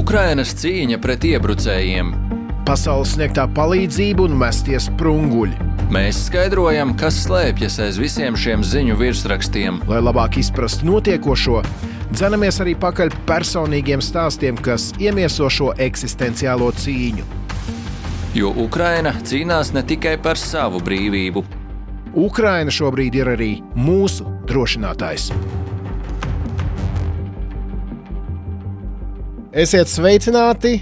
Ukrainas cīņa pret iebrucējiem. Pasaules sniegtā palīdzība un mestie sprunguļi. Mēs skaidrojam, kas slēpjas aiz visiem šiem ziņu virsrakstiem. Lai labāk izprastu notiekošo, dzenamies arī pakaļ personīgiem stāstiem, kas iemieso šo eksistenciālo cīņu. Jo Ukraina cīnās ne tikai par savu brīvību. Ukraina šobrīd ir arī mūsu drošinātājs. Esiet sveicināti!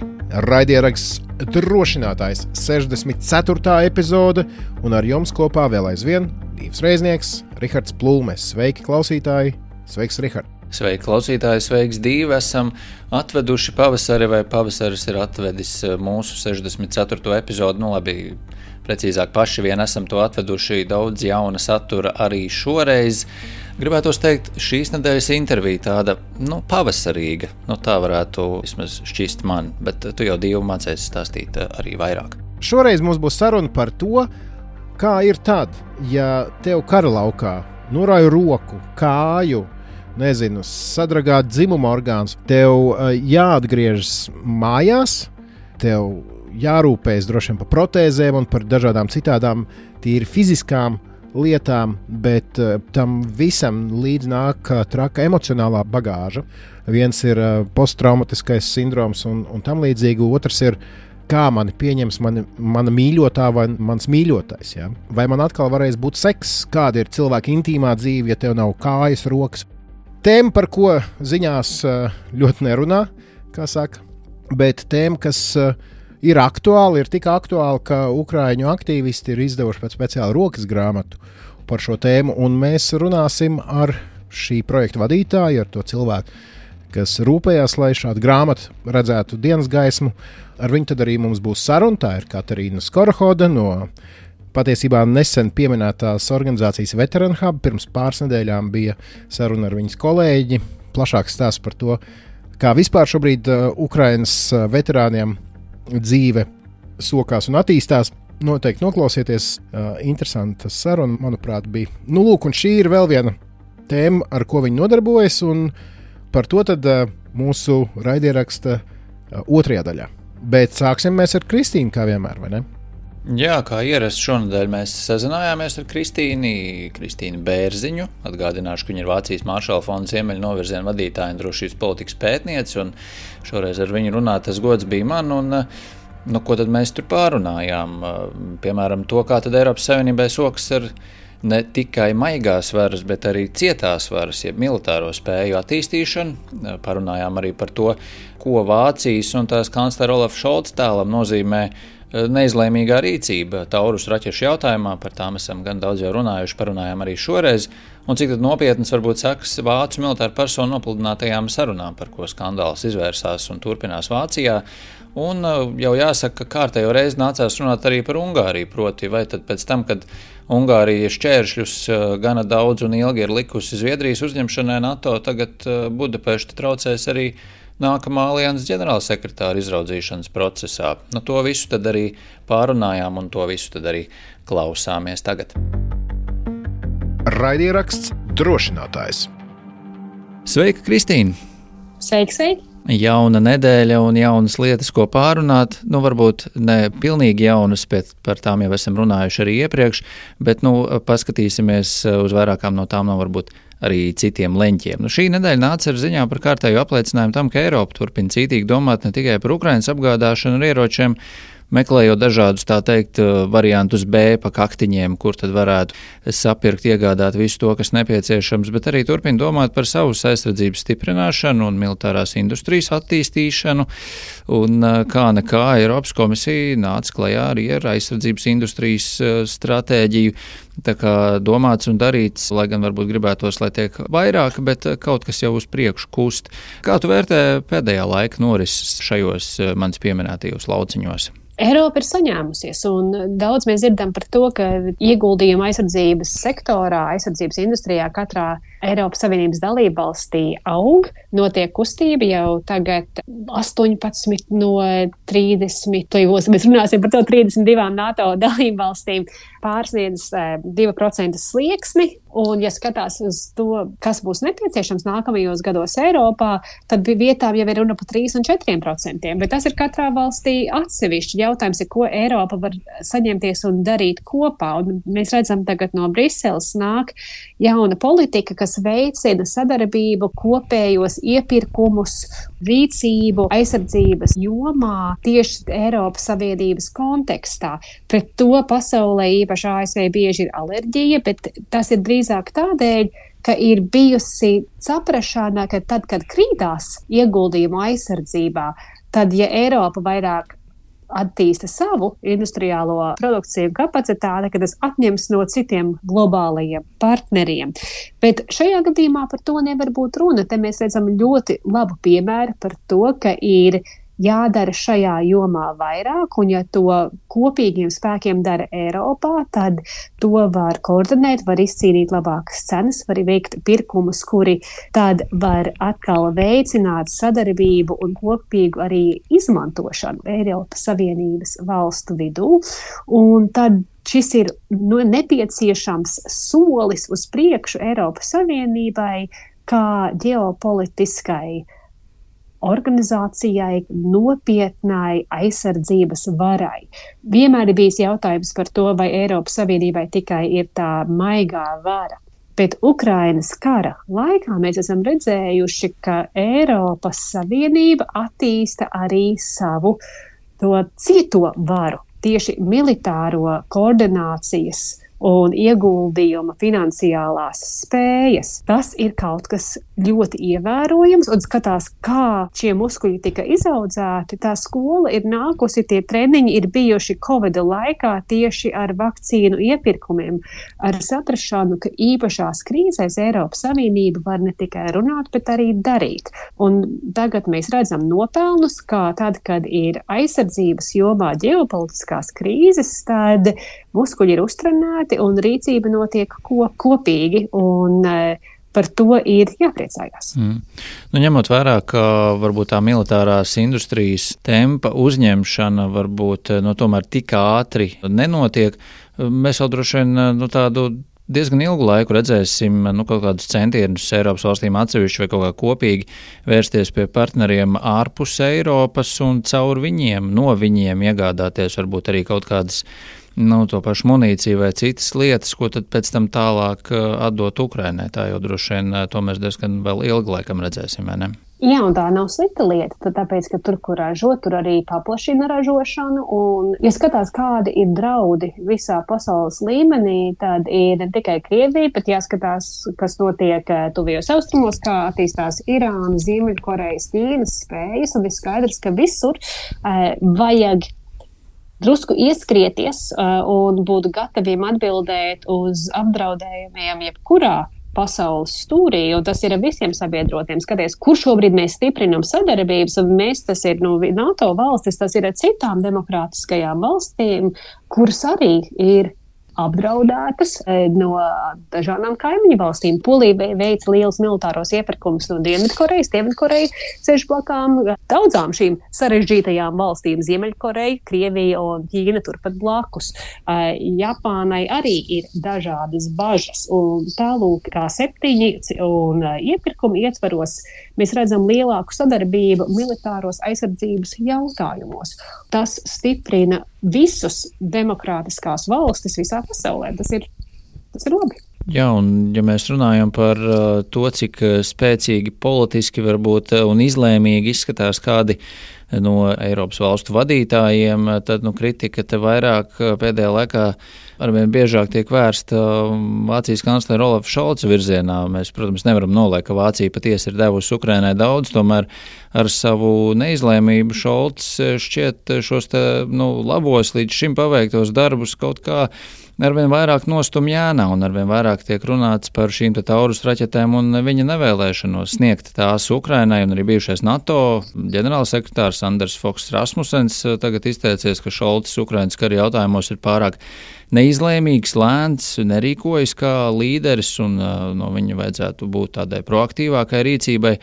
Raidieraksts Drošinātājs 64. epizode, un ar jums kopā vēl aizvien Dīvs Reiznieks, Rihards Plūmes. Sveiki, klausītāji! Sveiks, Rihard! Sveiki, klausītāji! Sveiks, Dīvi! Esam atveduši pavasari, vai pavasaris ir atvedis mūsu 64. epizodi. Nu labi, precīzāk paši vien esam to atveduši, daudz jauna satura arī šoreiz. Gribētos teikt, šīs nedēļas intervija tāda, pavasarīga. Tā varētu vismaz šķist man, bet tu jau Dievu mācēsi stāstīt arī vairāk. Šoreiz mums būs saruna par to, kā ir tad, ja tev kara laukā norāja roku, kāju, sadragāt dzimuma orgāns, tev jāatgriežas mājās, tev jārūpējas droši vien par protēzēm un par dažādām citādām tīri fiziskām lietām, bet tam visam līdz nāk traka emocionālā bagāža. Viens ir posttraumatiskais sindroms un tam līdzīgi, otrs ir, kā mani pieņems mana mīļotā vai mans mīļotais. Ja? Vai man atkal varēs būt seks, kāda ir cilvēka intīmā dzīve, ja tev nav kājas, rokas. Tēma, par ko ziņās ļoti nerunā, kā saka, bet tēma, kas ir aktuāli, ir tik aktuāli, ka ukraiņu aktīvisti ir izdevuši pēc speciāla rokas grāmatu par šo tēmu, un mēs runāsim ar šī projekta vadītāju, ar to cilvēku, kas rūpējās, lai šādu grāmatu redzētu dienas gaismu. Ar viņu tad arī mums būs saruna. Tā ir Katarīna Skorohoda no patiesībā nesen pieminētās organizācijas Veteran Hub. Pirms pāris nedēļām bija saruna ar viņas kolēģi. Plašāks stāsts par to, kā vispār šobrīd Ukrainas veterāniem dzīve sokās un attīstās. Noteikti noklausieties, interesanta saruna, manuprāt, bija. Un šī ir vēl viena tēma, ar ko viņi nodarbojas, un par to tad mūsu raidieraksta otrajā daļā. Bet sāksim mēs ar Kristīnu, kā vienmēr, vai ne? Jā, kā ierasts šonadēļ mēs sazinājāmies ar Kristīnu Bērziņu. Atgādināšu, ka viņa ir Vācijas Maršala fonda Ziemeļu novirziena vadītāja un drošības politikas pētniece, un šoreiz ar viņu runāt tas gods bija man, un ko tad mēs tur pārunājām? Piemēram, to, kā tad Eiropas Savienībai sokas ar ne tikai maigās varas, bet arī cietās varas, jeb militāro spēju attīstīšanu. Parunājām arī par to, ko Vācijas un tās kanclera Olafa Šolca tēlam nozīmē neizlēmīgā rīcība Taurus raķešu jautājumā. Par tām esam gan daudz jau runājuši, parunājām arī šoreiz. Un cik tad nopietnas varbūt sekas vācu militāru personu nopludinātajām sarunām, par ko skandāls izvērsās un turpinās Vācijā. Un jau jāsaka, ka kārtējo reizi nācās runāt arī par Ungāriju, proti vai tad pēc tam, kad Ungārija šķēršļus gana daudz un ilgi ir likusi Zviedrijas uzņemšanai NATO, tagad Budapešta traucēs arī nākamā alianses ģenerālsekretāra izraudzīšanas procesā. To visu tad arī pārunājām un to visu tad arī klausāmies tagad. Raidieraksts Drošinātājs. Sveika, Kristīna! Sveiki! Jauna nedēļa un jaunas lietas, ko pārunāt. Varbūt ne pilnīgi jaunas, bet par tām jau esam runājuši arī iepriekš, bet paskatīsimies uz vairākām no tām, varbūt arī citiem leņķiem. Šī nedēļa nāca ar ziņām par kārtēju apliecinājumu tam, ka Eiropa turpina cītīgi domāt ne tikai par Ukrainas apgādāšanu ar ieročiem, meklējot dažādus, tā teikt, variantus B pa kaktiņiem, kur tad varētu sapirkt, iegādāt visu to, kas nepieciešams, bet arī turpina domāt par savas aizsardzības stiprināšanu un militārās industrijas attīstīšanu. Un kā nekā Eiropas komisija nāca klajā arī ar aizsardzības industrijas stratēģiju. Tā kā domāts un darīts, lai gan varbūt gribētos, lai tiek vairāk, bet kaut kas jau uz priekšu kust. Kā tu vērtē pēdējā laika norises šajos manis pieminētajos lauciņos? Eiropa ir saņēmusies, un daudz mēs dzirdam par to, ka ieguldījuma aizsardzības sektorā, aizsardzības industrijā katrā Eiropas Savienības dalībvalstī aug, notiek kustība jau tagad 18 no 30, mēs runāsim par to 32 NATO dalībvalstīm, pārsniedz 2% slieksni, Un, ja skatās uz to, kas būs nepieciešams nākamajos gados Eiropā, tad vietām jau ir runa par 3 un 4%. Bet tas ir katrā valstī atsevišķi. Jautājums ir, ko Eiropa var saņemties un darīt kopā. Un mēs redzam, tagad no Briseles nāk jauna politika, kas veicina sadarbību, kopējos iepirkumus, rīcību, aizsardzības jomā tieši Eiropas Savienības kontekstā. Pret to pasaulē īpaši ASV bieži ir alerģija, bet tas ir drīzāk tādēļ, ka ir bijusi saprašana, ka tad, kad krītās ieguldījumu aizsardzībā, tad, ja Eiropa vairāk attīsta savu industriālo produkciju un kapacitāti, ka tas atņems no citiem globālajiem partneriem. Bet šajā gadījumā par to nevar būt runa. Te mēs redzam ļoti labu piemēru par to, ka ir jādara šajā jomā vairāk, un ja to kopīgiem spēkiem dara Eiropā, tad to var koordinēt, var izcīnīt labākas cenas, var veikt pirkumus, kuri tad var atkal veicināt sadarbību un kopīgu arī izmantošanu Eiropas Savienības valstu vidū. Un tad šis ir nepieciešams solis uz priekšu Eiropas Savienībai kā ģeopolitiskai organizācijai, nopietnai aizsardzības varai. Vienmēr ir bijis jautājums par to, vai Eiropas Savienībai tikai ir tā maigā vara. Bet Ukrainas kara laikā mēs esam redzējuši, ka Eiropas Savienība attīsta arī savu to cieto varu, tieši militāro koordinācijas un ieguldījuma finansiālās spējas. Tas ir kaut kas ļoti ievērojams, un skatās, kā šie muskuļi tika izaudzēti. Tā skola ir nākusi, tie treniņi ir bijuši Covid laikā tieši ar vakcīnu iepirkumiem, ar saprašanu, ka īpašās krīzēs Eiropas Savienība var ne tikai runāt, bet arī darīt. Un tagad mēs redzam nopelnus, kā tad, kad ir aizsardzības jomā ģeopolitiskās krīzes, tad muskuļi ir uztrenēti un rīcība notiek kopīgi, un par to ir jāpriecājās. Ņemot vērā, ka varbūt tā militārās industrijas tempa uzņemšana varbūt tomēr tik ātri nenotiek, mēs vēl droši vien tādu diezgan ilgu laiku redzēsim kaut kādus centienus Eiropas valstīm atsevišķi vai kaut kā kopīgi vērsties pie partneriem ārpus Eiropas un caur viņiem, no viņiem iegādāties varbūt arī kaut kādas to pašu munīciju vai citas lietas, ko tad pēc tam tālāk atdot Ukrainai. Tā jau droši vien to mēs diezgan vēl ilgu laikam redzēsim, vai ne? Jā, un tā nav slikta lieta, tāpēc, ka tur, kur ražo, tur arī paplašina ražošanu, un, ja skatās, kādi ir draudi visā pasaules līmenī, tad ir ne tikai Krievija, bet jāskatās, kas notiek tuvajos austrumos, kā attīstās Irāna, Ziemeļkorejas, Ķīnas spējas, un ir skaidrs, ka visur vajag drusku ieskrieties un būt gataviem atbildēt uz apdraudējumiem jebkurā pasaules stūrī, un tas ir visiem sabiedrotiem. Skaties, kur šobrīd mēs stiprinam sadarbības, un mēs, tas ir NATO valstis, tas ir ar citām demokrātiskajām valstīm, kuras arī ir apdraudētas no dažādām kaimiņu valstīm. Polija veic liels militāros iepirkumus no Dienvidkorejas. Dienvidkoreja sēž blakām daudzām šīm sarežģītajām valstīm. Ziemeļkoreja, Krievija un Ķīna turpat blakus. Japānai arī ir dažādas bažas. Un tālūk, kā 7 un iepirkumu ietvaros, mēs redzam lielāku sadarbību militāros aizsardzības jautājumos. Tas stiprina visus demokrātiskās valstis visā pasaulē. Tas ir labi. Jā, un ja mēs runājam par to, cik spēcīgi politiski varbūt un izlēmīgi izskatās kādi no Eiropas valstu vadītājiem, tad kritika te vairāk pēdējā laikā arvien biežāk tiek vērsta Vācijas kanclera Olafa Šolca virzienā. Mēs, protams, nevaram noliekt, ka Vācija patiesi ir devusi Ukrainai daudz, tomēr ar savu neizlēmību Šolcs šķiet šos labos līdz šim paveiktos darbus kaut kā arvien vairāk nostum ēnā un arvien vairāk tiek runāts par šīm Taurus raķetēm un viņa nevēlēšanos sniegt tās Ukrainai, un arī bijušais NATO ģenerālsekretārs Anders Foks Rasmussens tagad izteicies, ka Šolcis Ukrainas kara jautājumos ir pārāk neizlēmīgs, lēns, nerīkojas kā līderis, un no viņa vajadzētu būt tādai proaktīvākai rīcībai.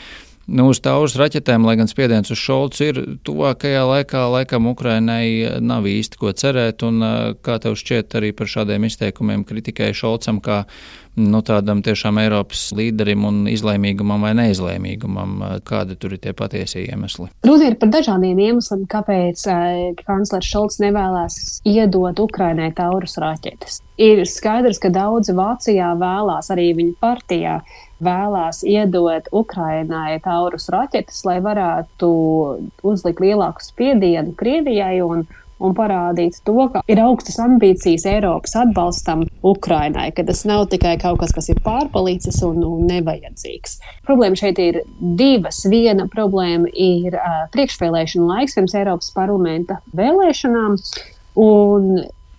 Uz Taurus raķetēm, lai gan spiediens uz Šolcu ir tuvākajā laikā, laikam Ukrainai nav īsti ko cerēt, un kā tev šķiet arī par šādiem izteikumiem kritikai Šolcam kā tādam tiešām Eiropas līderim un izlēmīgumam vai neizlēmīgumam? Kādi tur ir tie patiesie iemesli? Runa ir par dažādiem iemesliem, kāpēc kanclers Šolts nevēlas iedot Ukrainai Taurus raķetes. Ir skaidrs, ka daudzi Vācijā vēlās, arī viņa partijā vēlās iedot Ukrainai Taurus raķetes, lai varētu uzlikt lielāku spiedienu Krievijai un parādīt to, ka ir augstas ambīcijas Eiropas atbalstam Ukrainai, ka tas nav tikai kaut kas, kas ir pārpalicis un nevajadzīgs. Problēma šeit ir divas. Viena problēma ir priekšvēlēšanu laiks pirms Eiropas parlamenta vēlēšanām, un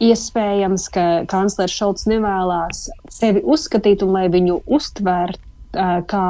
iespējams, ka kanclers Šolts nevēlās sevi uzskatīt un lai viņu uztvērt kā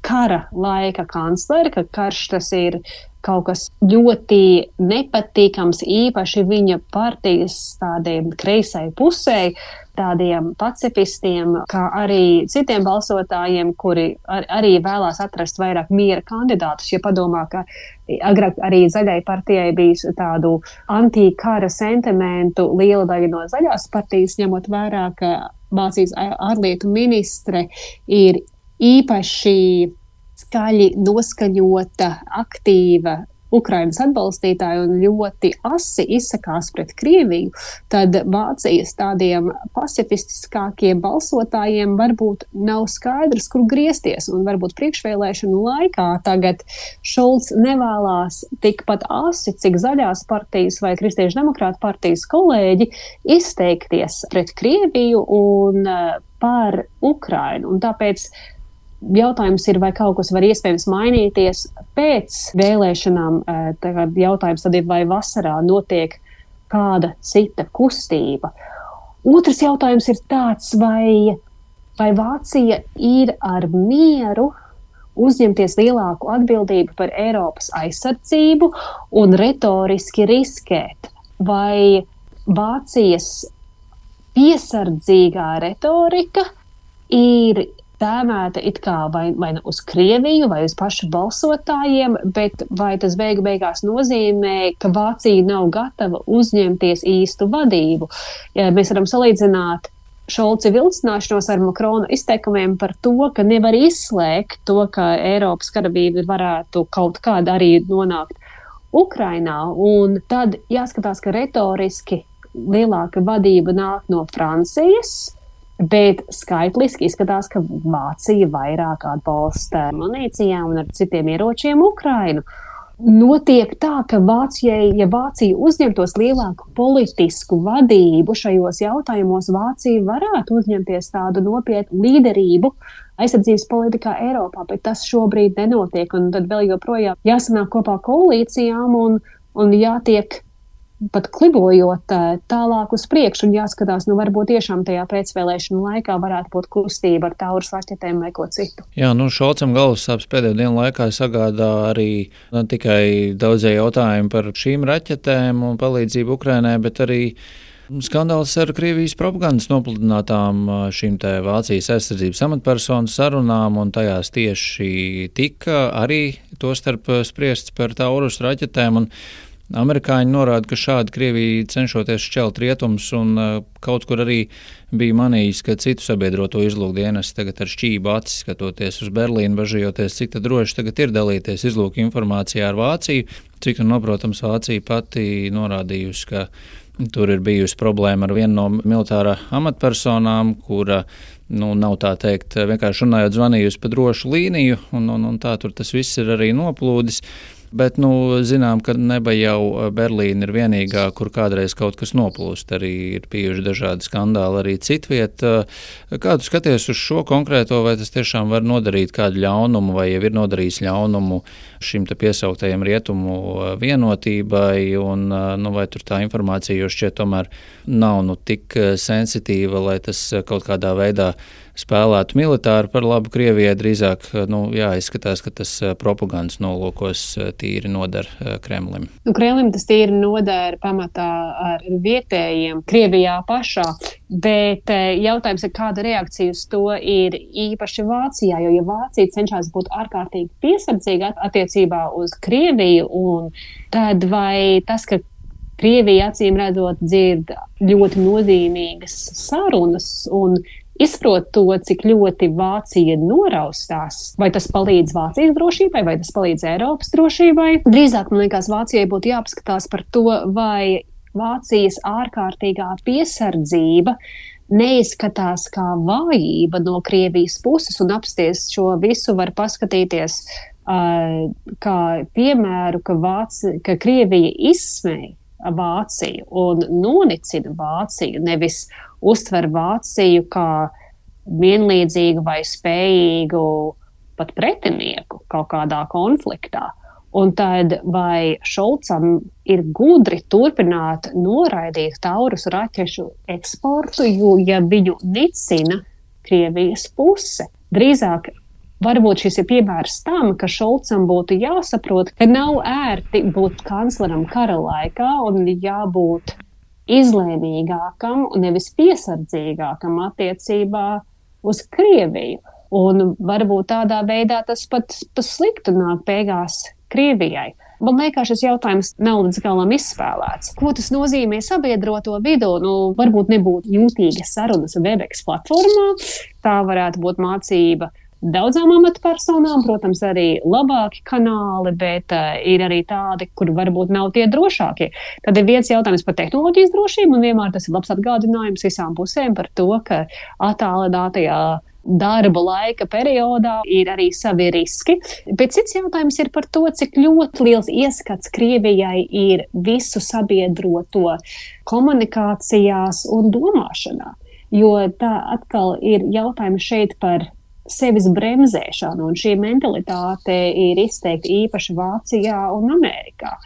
kara laika kancleri, ka karš tas ir kaut kas ļoti nepatīkams, īpaši viņa partijas tādiem kreisai pusē, tādiem pacifistiem, kā arī citiem balsotājiem, kuri arī vēlās atrast vairāk miera kandidātus. Ja padomā, ka agrāk arī Zaļai partijai bija tādu antikara sentimentu liela daļa no Zaļās partijas, ņemot vērā, ka Vācijas ārlietu ministre ir īpaši skaļi noskaņota, aktīva Ukrainas atbalstītāja un ļoti asi izsakās pret Krieviju, tad Vācijas tādiem pacifistiskākiem balsotājiem varbūt nav skaidrs, kur griezties. Un varbūt priekšvēlēšanu laikā tagad Šolts nevēlās tikpat asi, cik Zaļās partijas vai Kristiešu demokrātu partijas kolēģi izteikties pret Krieviju un par Ukrainu. Un tāpēc jautājums ir, vai kaut kas var iespējams mainīties pēc vēlēšanām. Tagad jautājums tad ir, vai vasarā notiek kāda cita kustība. Otrs jautājums ir tāds, vai Vācija ir ar mieru uzņemties lielāku atbildību par Eiropas aizsardzību un retoriski riskēt. Vai Vācijas piesardzīgā retorika ir tēmēta it kā vai uz Krieviju vai uz pašu balsotājiem, bet vai tas beigās nozīmē, ka Vācija nav gatava uzņemties īstu vadību? Ja mēs varam salīdzināt Šolca vilcināšanos ar Makrona izteikumiem par to, ka nevar izslēgt to, ka Eiropas karavīri varētu kaut kādā arī nonākt Ukrainā, un tad jāskatās, ka retoriski lielāka vadība nāk no Francijas, bet skaitliski izskatās, ka Vācija vairāk atbalsta munīcijām un ar citiem ieročiem Ukrainu. Notiek tā, ka ja Vācija uzņemtos lielāku politisku vadību šajos jautājumos, Vācija varētu uzņemties tādu nopietnu līderību aizsardzības politikā Eiropā, bet tas šobrīd nenotiek. Un tad vēl joprojām jāsanāk kopā koalīcijām un jātiek pat klibojot tālāk uz priekšu un jāskatās, varbūt tiešām tajā pēcvēlēšanu laikā varētu būt kustība ar Taurus raķetēm vai ko citu. Jā, Šolcam galvassāpes pēdējo dienu laikā sagādā arī ne tikai daudzie jautājumi par šīm raķetēm un palīdzību Ukrainai, bet arī skandāls ar Krievijas propagandas nopludinātām šīm te Vācijas aizsardzības amatpersonu sarunām, un tajās tieši tika arī tostarp spriests par Taurus raķetēm, un amerikāņi norāda, ka šādi Krievija cenšoties šķelt rietumus, un kaut kur arī bija manījis, ka citu sabiedroto izlūkdienestu tagad ar šķību acis skatoties uz Berlīnu, bažījoties, cik tad droši tagad ir dalīties izlūku informācijā ar Vāciju. Cik noprotams, Vācija pati norādījusi, ka tur ir bijusi problēma ar vienu no militārā amatpersonām, kura nav tā teikt, vienkārši runājot zvanījusi pa drošu līniju, un tā tur tas viss ir arī noplūdis. Bet, zinām, ka neba jau Berlīna ir vienīgā, kur kādreiz kaut kas noplūst. Arī ir bijuši dažādi skandāli arī citviet. Kā tu skaties uz šo konkrēto, vai tas tiešām var nodarīt kādu ļaunumu, vai jau ir nodarījis ļaunumu šim te piesauktajam rietumu vienotībai, un vai tur tā informācija jau šķiet tomēr nav tik sensitīva, lai tas kaut kādā veidā spēlētu militāri par labu Krievijai, drīzāk jāizskatās, ka tas propagandas nolūkos tīri noder Kremlim. Kremlim tas tīri noder pamatā ar vietējiem Krievijā pašā, bet jautājums ir, kāda reakcija uz to ir īpaši Vācijā, jo ja Vācija cenšas būt ārkārtīgi piesardzīga attiecībā uz Krieviju, un tad vai tas, ka Krievija acīm redzot dzird ļoti nozīmīgas sarunas un izprot to, cik ļoti Vācija noraustās. Vai tas palīdz Vācijas drošībai, vai tas palīdz Eiropas drošībai? Drīzāk, man liekas, Vācijai būtu jāpaskatās par to, vai Vācijas ārkārtīgā piesardzība neizskatās kā vājība no Krievijas puses, un apsties šo visu var paskatīties kā piemēru, ka Krievija izsmēja Vāciju un nonicina Vāciju, nevis uztver Vāciju kā vienlīdzīgu vai spējīgu pat pretinieku kaut kādā konfliktā. Un tad vai Šolcam ir gudri turpināt noraidīt Taurus raķešu eksportu, jo ja viņu nicina Krievijas puse? Drīzāk varbūt šis ir piemērs tam, ka Šolcam būtu jāsaprot, ka nav ērti būt kancleram kara laikā un jābūt izlēmīgākam un nevis piesardzīgākam attiecībā uz Krieviju. Un varbūt tādā veidā tas pat sliktu nāk beigās Krievijai. Man liekas, šis jautājums nav līdz galam izspēlēts. Ko tas nozīmē sabiedroto vidū? Varbūt nebūtu jūtīgas sarunas Webex platformā. Tā varētu būt mācība daudzām amatpersonām, protams, arī labāki kanāli, bet ir arī tādi, kur varbūt nav tie drošākie. Tad ir viens jautājums par tehnoloģijas drošību, un vienmēr tas ir labs atgādinājums visām pusēm par to, ka attālinātajā darba laika periodā ir arī savi riski. Bet cits jautājums ir par to, cik ļoti liels ieskats Krievijai ir visu sabiedroto komunikācijās un domāšanā. Jo tā atkal ir jautājums šeit par sevis bremzēšanu, un šī mentalitāte ir izteikti īpaši Vācijā un Amerikā.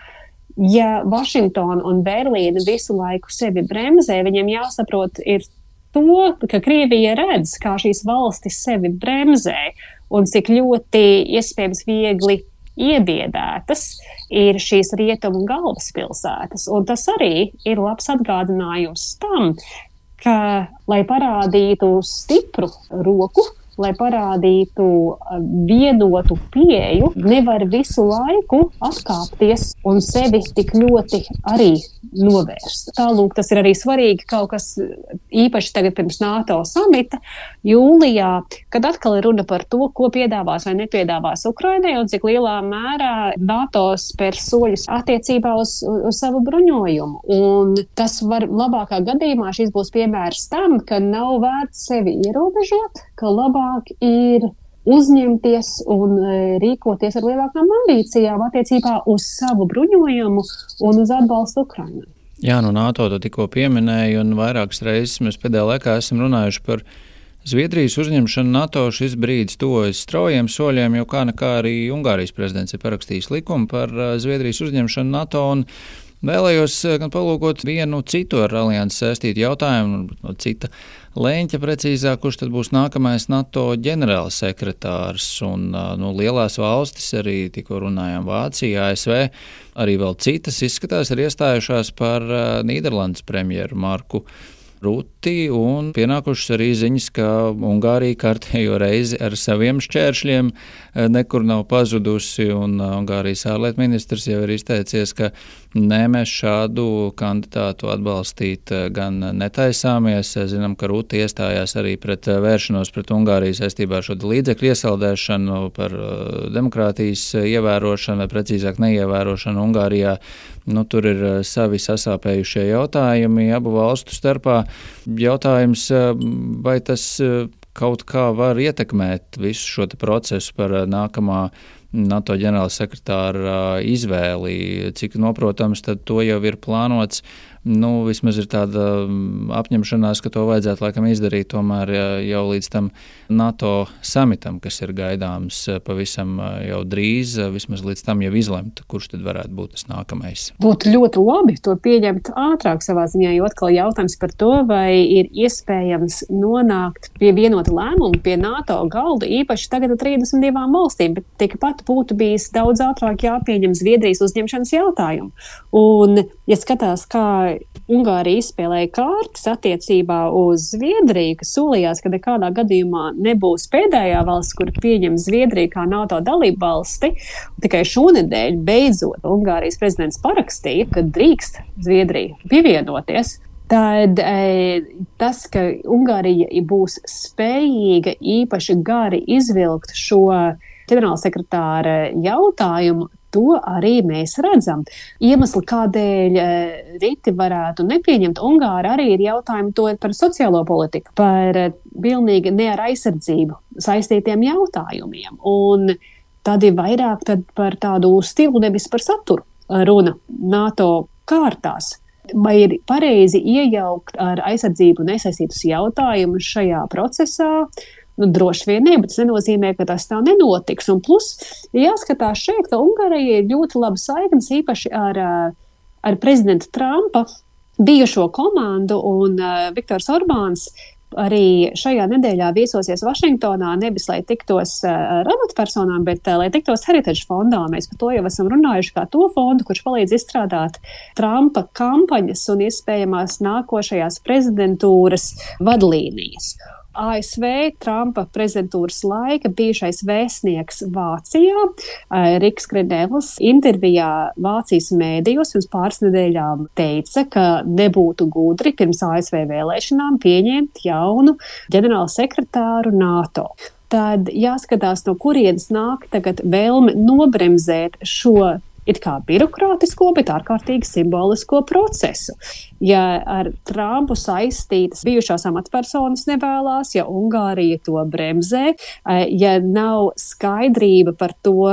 Ja Vašingtona un Berlīna visu laiku sevi bremzē, viņiem jāsaprot ir to, ka Krievija redz, kā šīs valstis sevi bremzē, un cik ļoti iespējams viegli iebiedētas ir šīs rietumu galvaspilsētas. Un tas arī ir labs atgādinājums tam, ka, lai parādītu stipru roku, lai parādītu vienotu pieeju, nevar visu laiku atkāpties un sevi tik ļoti arī novērst. Tālūk, tas ir arī svarīgi kaut kas īpaši tagad pirms NATO samita jūlijā, kad atkal ir runa par to, ko piedāvās vai nepiedāvās Ukrainai un cik lielā mērā NATO spērs soļus attiecībā uz savu bruņojumu. Un tas var labākā gadījumā šis būs piemērs tam, ka nav vērts sevi ierobežot, ka labāk ir uzņemties un rīkoties ar lielākām ambīcijām attiecībā uz savu bruņojumu un uz atbalstu Ukrainai. Jā, NATO to tikko pieminēja, un vairākas reizes mēs pēdējā laikā esam runājuši par Zviedrijas uzņemšanu NATO. Šis brīdis tuvojas straujiem soļiem, jo kā nekā arī Ungārijas prezidents ir parakstījis likumu par Zviedrijas uzņemšanu NATO, un vēlējos gan palūkot vienu citu ar aliansi saistītu jautājumu, no cita leņķa precīzāk, kurš tad būs nākamais NATO ģenerālsekretārs. Un lielās valstis, arī tikko runājām Vācija, ASV, arī vēl citas izskatās ir iestājušās par Nīderlandes premjeru Marku Rutti, un pienākušas arī ziņas, ka Ungārija kārtējo reizi ar saviem šķēršļiem nekur nav pazudusi, un Ungārijas ārlietu ministrs jau ir izteicies, ka nē, mēs šādu kandidātu atbalstīt gan netaisāmies. Zinām, ka Rutti iestājās arī pret vēršanos pret Ungāriju saistībā ar šo līdzekļu iesaldēšanu, par demokrātijas ievērošanu, vai precīzāk neievērošanu Ungārijā. Tur ir savi sasāpējušie jautājumi abu valstu starpā. Jautājums, vai tas kaut kā var ietekmēt visu šo procesu par nākamā NATO ģenerālsekretāra izvēli, cik noprotams, tad to jau ir plānots. Vismaz ir tāda apņemšanās, ka to vajadzētu laikam izdarīt tomēr jau līdz tam NATO samitam, kas ir gaidāms pavisam jau drīz, vismaz līdz tam jau izlemt, kurš tad varētu būt tas nākamais. Būtu ļoti labi to pieņemt ātrāk savā ziņā, jo atkal jautājums par to, vai ir iespējams nonākt pie vienota lēmuma, pie NATO galda, īpaši tagad ar 32 valstīm, bet tikpat būtu bijis daudz ātrāk jāpieņem Zviedrijas uzņemšanas jautājumu. Un, ja skatās, kā Ungārija izspēlēja kārtas attiecībā uz Zviedriju, kas solījās, ka nekādā gadījumā nebūs pēdējā valsts, kur pieņem Zviedriju kā NATO dalību valsti. Tikai šonedēļ beidzot Ungārijas prezidents parakstīja, ka drīkst Zviedrija pievienoties. tad tas, ka Ungārija būs spējīga īpaši gari izvilkt šo ģenerālsekretāra jautājumu, to arī mēs redzam. Iemesli, kādēļ Riti varētu nepieņemt Ungāri, arī ir jautājumi to par sociālo politiku, par pilnīgi ne ar aizsardzību saistītiem jautājumiem. Un tad ir vairāk par tādu stilu, nevis par saturu runa NATO kārtās. Vai ir pareizi iejaukt ar aizsardzību nesaistītus jautājumus šajā procesā? Droši vien ne, bet tas nenozīmē, ka tas tā nenotiks. Un plus, jāskatās šeit, ka Ungārija ir ļoti laba saiknes īpaši ar prezidenta Trumpa bijušo komandu, un Viktors Orbāns arī šajā nedēļā viesosies Vašingtonā, nevis lai tiktos ar amatpersonām, bet lai tiktos Heritage fondā. Mēs par to jau esam runājuši kā to fondu, kurš palīdz izstrādāt Trumpa kampaņas un iespējamās nākošajās prezidentūras vadlīnijas. ASV Trumpa prezidentūras laika bijušais vēstnieks Vācijā, Riks Grenevls, intervijā Vācijas mēdījos pirms pāris nedēļām teica, ka nebūtu gudri pirms ASV vēlēšanām pieņemt jaunu ģenerālsekretāru NATO. Tad jāskatās, no kurienes nāk tagad vēlme nobremzēt šo it kā birokrātisko, bet ārkārtīgi simbolisko procesu. Ja ar Trumpu saistītas bijušās amatpersonas nevēlās, ja Ungārija to bremzē, ja nav skaidrība par to,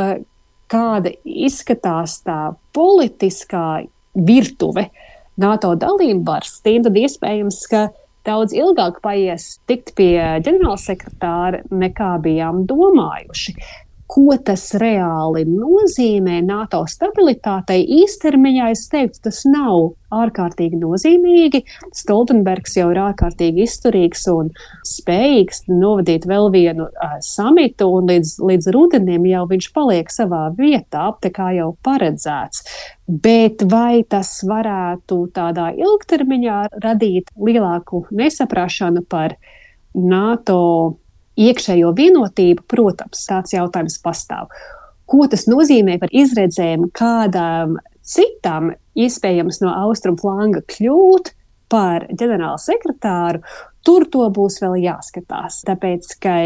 kāda izskatās tā politiskā virtuve NATO dalībvalstīm, tad iespējams, ka daudz ilgāk paies tikt pie ģenerālsekretāra, nekā bijām domājuši. Ko tas reāli nozīmē NATO stabilitātei īstermiņā, es teiktu, tas nav ārkārtīgi nozīmīgi. Stoltenbergs jau ir ārkārtīgi izturīgs un spējīgs novadīt vēl vienu samitu, un līdz rudenim jau viņš paliek savā vietā, tā kā jau paredzēts. Bet vai tas varētu tādā ilgtermiņā radīt lielāku nesaprašanu par NATO iekšējo vienotību? Protams, tāds jautājums pastāv. Ko tas nozīmē par izredzēm kādām citām, iespējams no austrumu flanga kļūt par ģenerālu sekretāru? Tur to būs vēl jāskatās, tāpēc, ka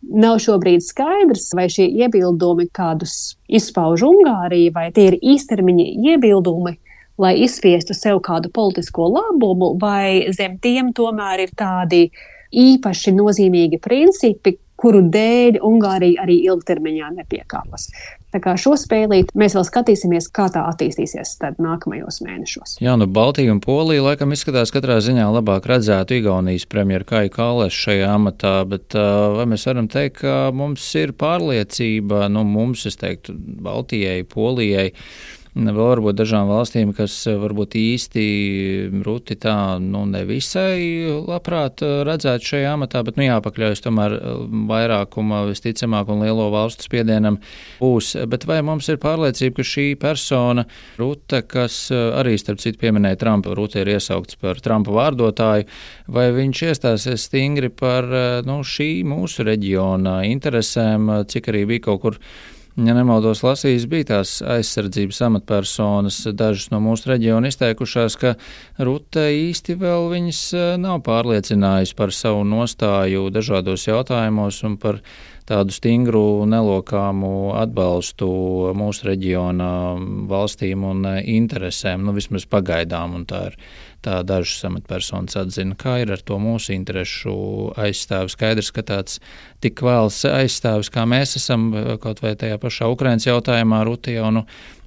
nav šobrīd skaidrs, vai šie iebildumi, kādus izpauž Ungārija, vai tie ir īstermiņa iebildumi, lai izspiestu sev kādu politisko labumu, vai zem tiem tomēr ir tādi īpaši nozīmīgi principi, kuru dēļ Ungārija arī ilgtermiņā nepiekāpas. Tā kā šo spēlīt mēs vēl skatīsimies, kā tā attīstīsies tad nākamajos mēnešos. Jā, Baltija un Polija laikam izskatās katrā ziņā labāk redzētu Igaunijas premjeru Kaju Kallešu šajā amatā, bet vai mēs varam teikt, ka mums ir pārliecība, mums, es teiktu, Baltijai, Polijai, vēl varbūt dažām valstīm, kas varbūt īsti Ruti tā nevisai labprāt redzētu šajā amatā, bet jāpakļaujas tomēr vairākuma visticamāk un lielo valstu spiedienam būs. Bet vai mums ir pārliecība, ka šī persona, Rute, kas arī starp citu pieminēja Trumpa, Rute ir iesaukts par Trumpa vārdotāju, vai viņš iestāsies stingri par šī mūsu reģiona interesēm, cik arī bija kaut kur, ja nemaldos, lasījis, bija tās aizsardzības amatpersonas, dažas no mūsu reģiona izteikušās, ka Rute īsti vēl viņas nav pārliecinājusi par savu nostāju dažādos jautājumos un par tādu stingru, nelokāmu atbalstu mūsu reģiona valstīm un interesēm, vismaz pagaidām, un tā ir. Tā dažas amatpersonas atzina, kā ir ar to mūsu interešu aizstāvis. Skaidrs, ka tāds tik vēls aizstāvis, kā mēs esam, kaut vai tajā pašā Ukrainas jautājumā, Rute jau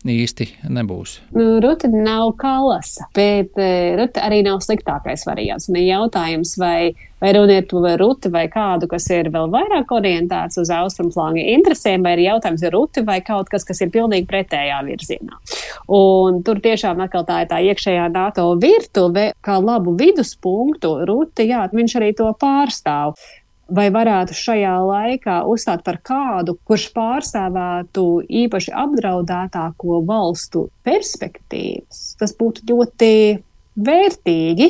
īsti nebūs. Rute nav Kallasa, bet Rute arī nav sliktākais variants. Un ir jautājums, vai runa ir par Rute vai kādu, kas ir vēl vairāk orientēts uz austrumflanga interesēm, vai ir jautājums ar Rute vai kaut kas ir pilnīgi pretējā virzienā. Un tur tiešām atkal tā ir tā iekšējā NATO virtuve, kā labu viduspunktu Rute, jā, viņš arī to pārstāv. Vai varētu šajā laikā uzstāt par kādu, kurš pārstāvētu īpaši apdraudētāko valstu perspektīvas? Tas būtu ļoti vērtīgi.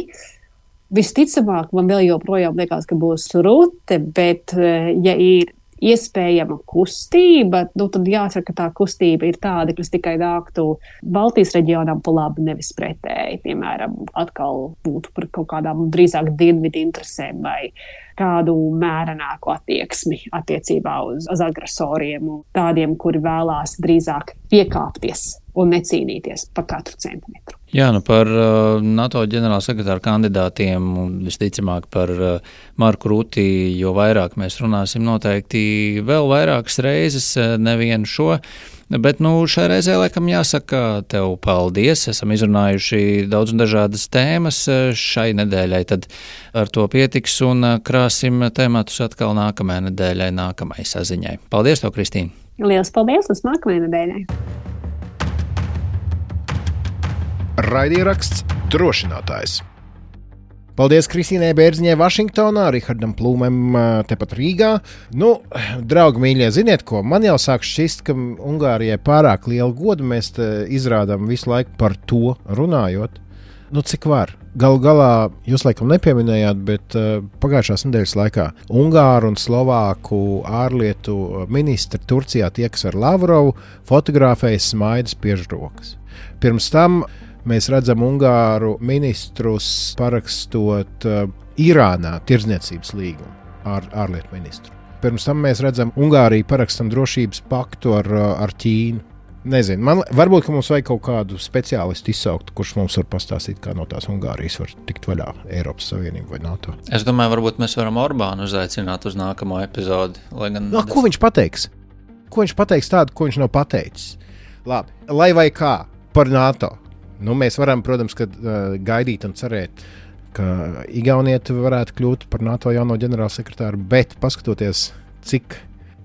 Visticamāk, man vēl joprojām liekas, ka būs Rute, bet ja ir iespējama kustība, tad jāsaka, ka tā kustība ir tāda, kas tikai nāktu Baltijas reģionam pa labi, nevis pretēji. Piemēram, atkal būtu par kaut kādām drīzāk dienvidu interesēm vai kādu mērenāku attieksmi attiecībā uz agresoriem un tādiem, kuri vēlās drīzāk piekāpties un necīnīties par katru centimetru. Jā, par NATO ģenerālsekretāra kandidātiem un visticamāk par Marku Ruti, jo vairāk mēs runāsim noteikti vēl vairākas reizes, nevienu šo. Bet šai reizē laikam jāsaka tev paldies. Esam izrunājuši daudz un dažādas tēmas šai nedēļai, tad ar to pietiks un krāsim tematus atkal nākamajai nedēļai, nākamajai saziņai. Paldies tev, Kristīne! Lielas paldies, līdz nākamajai nedēļai! Raidieraksts Drošinātājs. Paldies Kristīnai Bērziņai Vašingtonā, Rihardam Plūmēm tepat Rīgā. Draugi mīļie, ziniet ko? Man jau sāk šķist, ka Ungārijai pārāk lielu godu mēs izrādām visu laiku par to runājot. Cik var? Galu galā jūs laikam nepieminējāt, bet pagājušās nedēļas laikā Ungāru un Slovāku ārlietu ministri Turcijā tiekas ar Lavrovu, fotografējas smaidas piežrokas. Pirms tam mēs redzam Ungāru ministrus parakstot Irānā tirdzniecības līgumu ar ārlietu ministru. Pirms tam mēs redzam Ungāriju parakstam drošības paktu ar Ķīnu. Nezinu, varbūt mums vajag kaut kādu speciālistu izsaukt, kurš mums var pastāstīt, kā no tās Ungārijas var tikt vaļā Eiropas Savienība vai NATO. Es domāju, varbūt mēs varam Orbānu uzaicināt uz nākamo epizodi. Ko viņš pateiks? Ko viņš pateiks tādu, ko viņš nav pateicis? Labi, lai vai kā par NATO. Mēs varam, protams, gaidīt un cerēt, ka Igaunieti varētu kļūt par NATO jauno ģenerālsekretāru, bet paskatoties, cik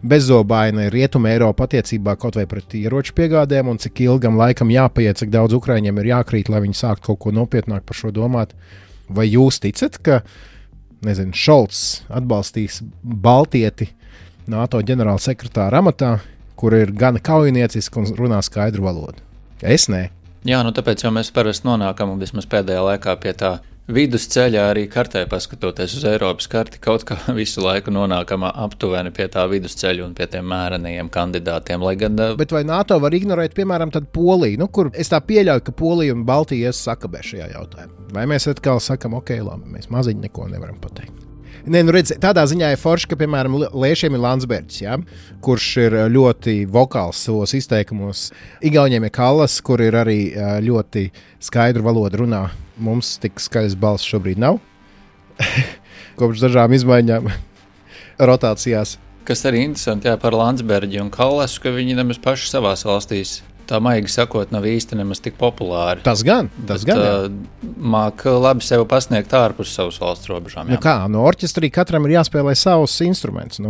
bezzobaina ir Rietuma Eiropa attiecībā kaut vai pret ieroču piegādēm un cik ilgam laikam jāpaiet, cik daudz Ukraiņiem ir jākrīt, lai viņi sāktu kaut ko nopietnāk par šo domāt. Vai jūs ticat, ka Šolts atbalstīs baltieti NATO ģenerālsekretāra amatā, kur ir gan kaujinieciski un runā skaidru valodu? Es nē. Jā, tāpēc jau mēs parasti nonākam vismaz pēdējā laikā pie tā vidusceļā, arī kartē paskatoties uz Eiropas karti, kaut kā visu laiku nonākam aptuveni pie tā vidusceļa un pie tiem mērenajiem kandidātiem. Bet vai NATO var ignorēt, piemēram, tad Poliju, kur es tā pieļauju, ka Polija un Baltija sakabē šajā jautājumā? Vai mēs atkal sakam, ok, labi, mēs maziņi neko nevaram pateikt? Redz, tādā ziņā ir forši, ka, piemēram, Liešiem ir Landsbergis, ja, kurš ir ļoti vokāls savos izteikumos. Igauņiem ir Kallas, kur ir arī ļoti skaidru valodu runā. Mums tik skaļas balss šobrīd nav. Kopš dažām izmaiņām rotācijās. Kas arī interesanti par Landsbergi un Kallasu, ka viņi nemaz paši savās valstīs, tā maigi sakot, nav īsti nemaz tik populāri. Tas gan. Māk labi sev pasniegt ārpus savas valsts robežām. Orķestrī katram ir jāspēlē savus instrumentus.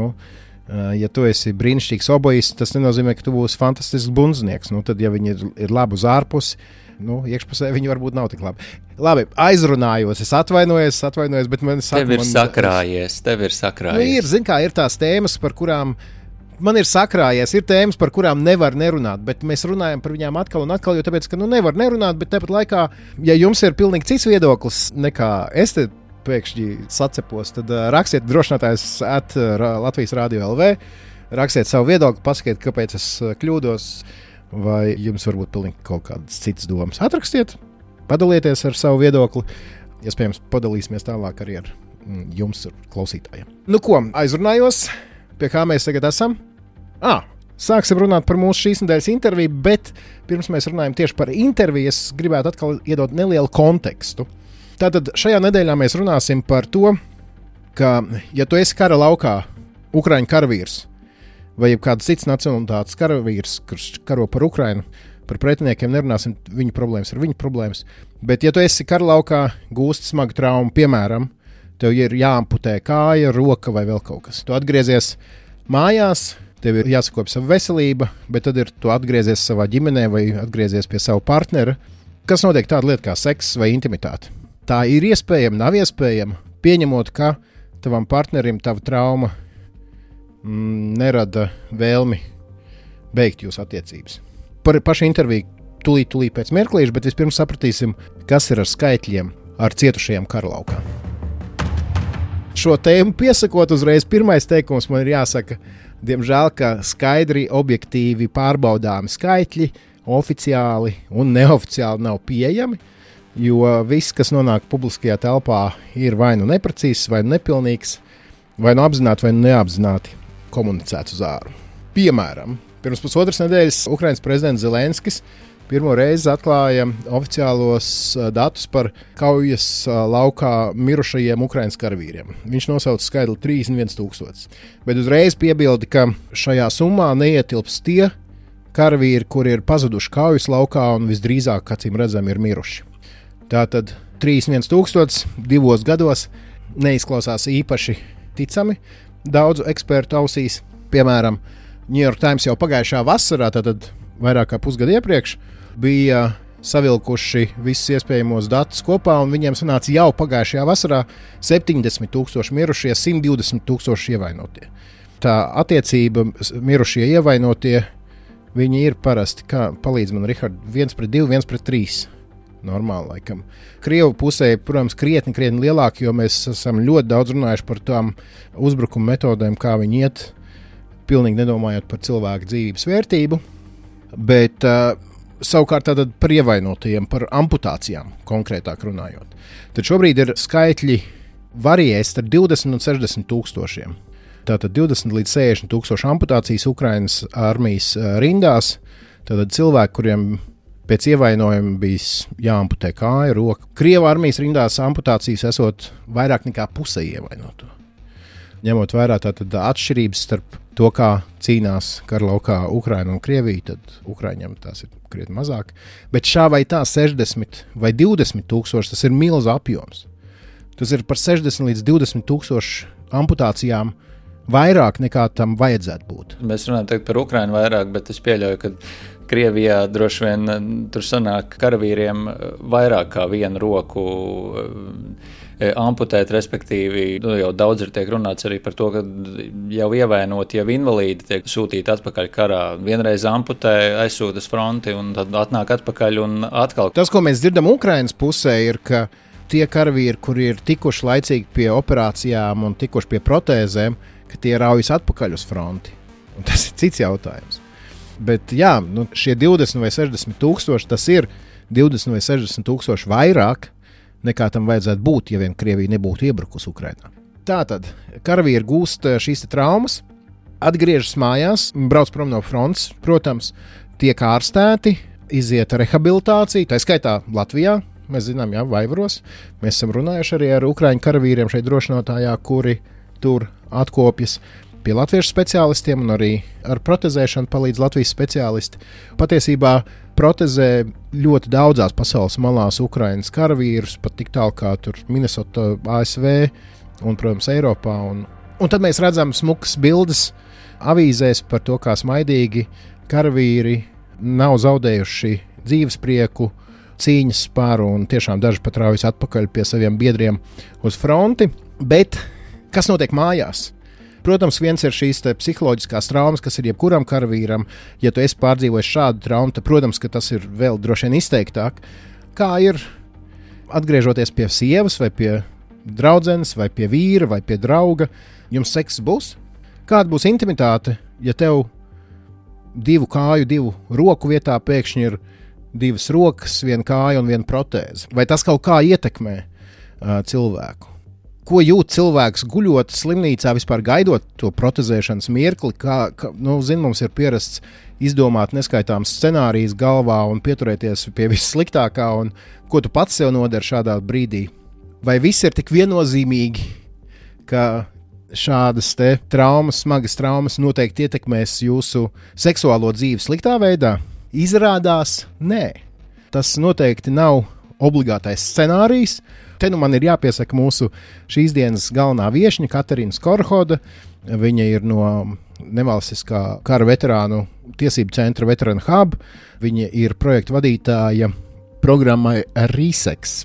Ja tu esi brīnišķīgs obojists, tas nenozīmē, ka tu būsi fantastisks bundznieks. Tad, ja viņi ir labi uz ārpusi, iekšpusē viņi varbūt nav tik labi. Labi, aizrunājos, es atvainojos, bet man saka, tev ir sakrājies. Ir tās tēmas, par kurām man ir sakrājies, ir tēmas, par kurām nevar nerunāt, bet mēs runājam par viņām atkal un atkal, jo tāpēc, ka nevar nerunāt, bet tāpat laikā, ja jums ir pilnīgi cits viedoklis nekā es te pēkšņi sacepos, tad rakstiet drošinātājs @Latvijas Radio LV, rakstiet savu viedokli, pasakiet, kāpēc es kļūdos, vai jums varbūt pilnīgi kaut kādas citas domas. Atrakstiet, padalieties ar savu viedokli, iespējams padalīsimies tālāk arī ar jums, klausītājiem. Aizrunājos, pie kā mēs tagad esam? Sāksim runāt par mūsu šīs nedēļas interviju, bet pirms mēs runājam tieši par interviju, es gribētu atkal iedot nelielu kontekstu. Tātad šajā nedēļā mēs runāsim par to, ka, ja tu esi kara laukā, Ukraiņu karavīrs vai kāds cits nacionalitātes karavīrs, kurš karo par Ukrainu, par pretiniekiem nerunāsim, viņu problēmas ir viņu problēmas, bet ja tu esi kara laukā, gūsti smagu traumu, piemēram, tev ir jāamputē kāja, roka vai vēl kaut kas. Tu atgriezies mājās, tev ir jāsakopja sava veselība, bet tad tu atgriezies savā ģimenē vai atgriezies pie sava partnera. Kas notiek tāda lieta kā seks vai intimitāte? Tā ir iespējama, nav iespējama, pieņemot, ka tavam partnerim tava trauma nerada vēlmi beigt jūsu attiecības. Par pašu interviju tūlīt pēc mirklīša, bet vispirms sapratīsim, kas ir ar skaitļiem ar cietušajiem karalaukā. Šo tēmu piesakot uzreiz, pirmais teikums man ir jāsaka, Diemžēl, ka skaidri, objektīvi pārbaudāmi skaitļi oficiāli un neoficiāli nav pieejami, jo viss, kas nonāk publiskajā telpā, ir vai nu neprecīzs, vai nu nepilnīgs, vai nu apzināti, vai nu neapzināti komunicēts uz āru. Piemēram, pirms pusotras nedēļas Ukrainas prezidents Zelenskis pirmo reizi atklāja oficiālos datus par kaujas laukā mirušajiem Ukrainas karavīriem. Viņš nosauca skaitli 31,000. Bet uzreiz piebilda, ka šajā summā neietilps tie karavīri, kuri ir pazuduši kaujas laukā un visdrīzāk, acīm redzam, ir miruši. Tātad 31,000 2 gados neizklausās īpaši ticami daudzu ekspertu ausīs. Piemēram, New York Times jau pagājušā vasarā, tātad vairāk kā pusgadu iepriekš, bija savilkuši visus iespējamos datus kopā, un viņiem sanāca jau pagājušajā vasarā 70,000 mirušie, 120,000 ievainotie. Tā attiecība mirušie ievainotie, viņi ir parasti, kā palīdz man Rihard, 1:2, 1:3. Normāli, laikam. Krievu pusē, protams, krietni lielāki, jo mēs esam ļoti daudz runājuši par tām uzbrukuma metodēm, kā viņi iet, pilnīgi nedomājot par cilvēku dzīvības vērtību. Bet savukārt tātad par ievainotajiem, par amputācijām konkrētāk runājot. Tad šobrīd ir skaitļi variēs starp 20 un 60,000. Tātad 20 līdz 60,000 amputācijas Ukrainas armijas rindās. Tātad cilvēki, kuriem pēc ievainojuma bija jāamputē kāja, roka. Krievu armijas rindās amputācijas esot vairāk nekā pusē ievainoto. Ņemot vērā tātad atšķirības starp to, kā cīnās karalaukā Ukraina un Krievija, tad Ukraiņiem tās ir krietni mazāk. Bet šā vai tā 60 vai 20,000, tas ir milzu apjoms. Tas ir par 60 līdz 20,000 amputācijām vairāk nekā tam vajadzētu būt. Mēs runājam par Ukrainu vairāk, bet es pieļauju, ka Krievijā droši vien tur sanāk karavīriem vairāk kā vienu roku amputēt, respektīvi, jau daudz ir tiek runāts arī par to, ka jau ievainoti, jau invalīdi tiek sūtīti atpakaļ karā. Vienreiz amputē, aizsūtas fronti un tad atnāk atpakaļ un atkal. Tas, ko mēs dzirdam Ukrainas pusē, ir, ka tie karavīri, kuri ir tikuši laicīgi pie operācijām un tikuši pie protēzēm, ka tie raujas atpakaļ uz fronti. Un tas ir cits jautājums. Bet jā, šie 20 vai 60,000, tas ir 20 vai 60,000 vairāk nekā tam vajadzētu būt, ja vien Krievija nebūtu iebrukusi Ukrainā. Tātad karavīri gūst šīs traumas, atgriežas mājās, brauc prom no frontes, protams, tiek ārstēti, iziet rehabilitāciju, tā skaitā Latvijā, mēs zinām, jā, Vaivaros. Mēs esam runājuši arī ar Ukraiņu karavīriem šeit drošinotājā, kuri tur atkopjas pie latviešu speciālistiem, un arī ar protezēšanu palīdz Latvijas speciālisti. Patiesībā protezē ļoti daudzās pasaules malās Ukrainas karavīrus, pat tik tālu kā tur Minnesota, ASV un, protams, Eiropā. Un tad mēs redzam smukas bildes avīzēs par to, kā smaidīgi karavīri nav zaudējuši dzīvesprieku, cīņas spāru, un tiešām daži pat raujas atpakaļ pie saviem biedriem uz fronti. Bet kas notiek mājās? Protams, viens ir šīs psiholoģiskās traumas, kas ir jebkuram karavīram. Ja tu esi pārdzīvojis šādu traumu, tad, protams, ka tas ir vēl droši vien izteiktāk. Kā ir atgriežoties pie sievas, vai pie draudzenes, vai pie vīra, vai pie drauga, jums sekss būs? Kāda būs intimitāte, ja tev 2 kāju, 2 roku vietā pēkšņi ir 2 rokas, 1 kāja un 1 protēze? Vai tas kaut kā ietekmē cilvēku? Ko jūt cilvēks guļot slimnīcā, vispār gaidot to protezēšanas mirkli? Mums ir pierasts izdomāt neskaitāms scenārijus galvā un pieturēties pie vissliktākā, un ko tu pats sev nodari šādā brīdī? Vai viss ir tik viennozīmīgi, ka šādas traumas, smagas traumas noteikti ietekmēs jūsu seksuālo dzīvi sliktā veidā? Izrādās, nē. Tas noteikti nav obligātais scenārijs. Te man ir jāpiesaka mūsu šīs dienas galvenā viešņa Katarīna Skorhoda. Viņa ir no nevalstiskā kara veterānu tiesību centra Veteran Hub. Viņa ir projekta vadītāja programmai RESEX.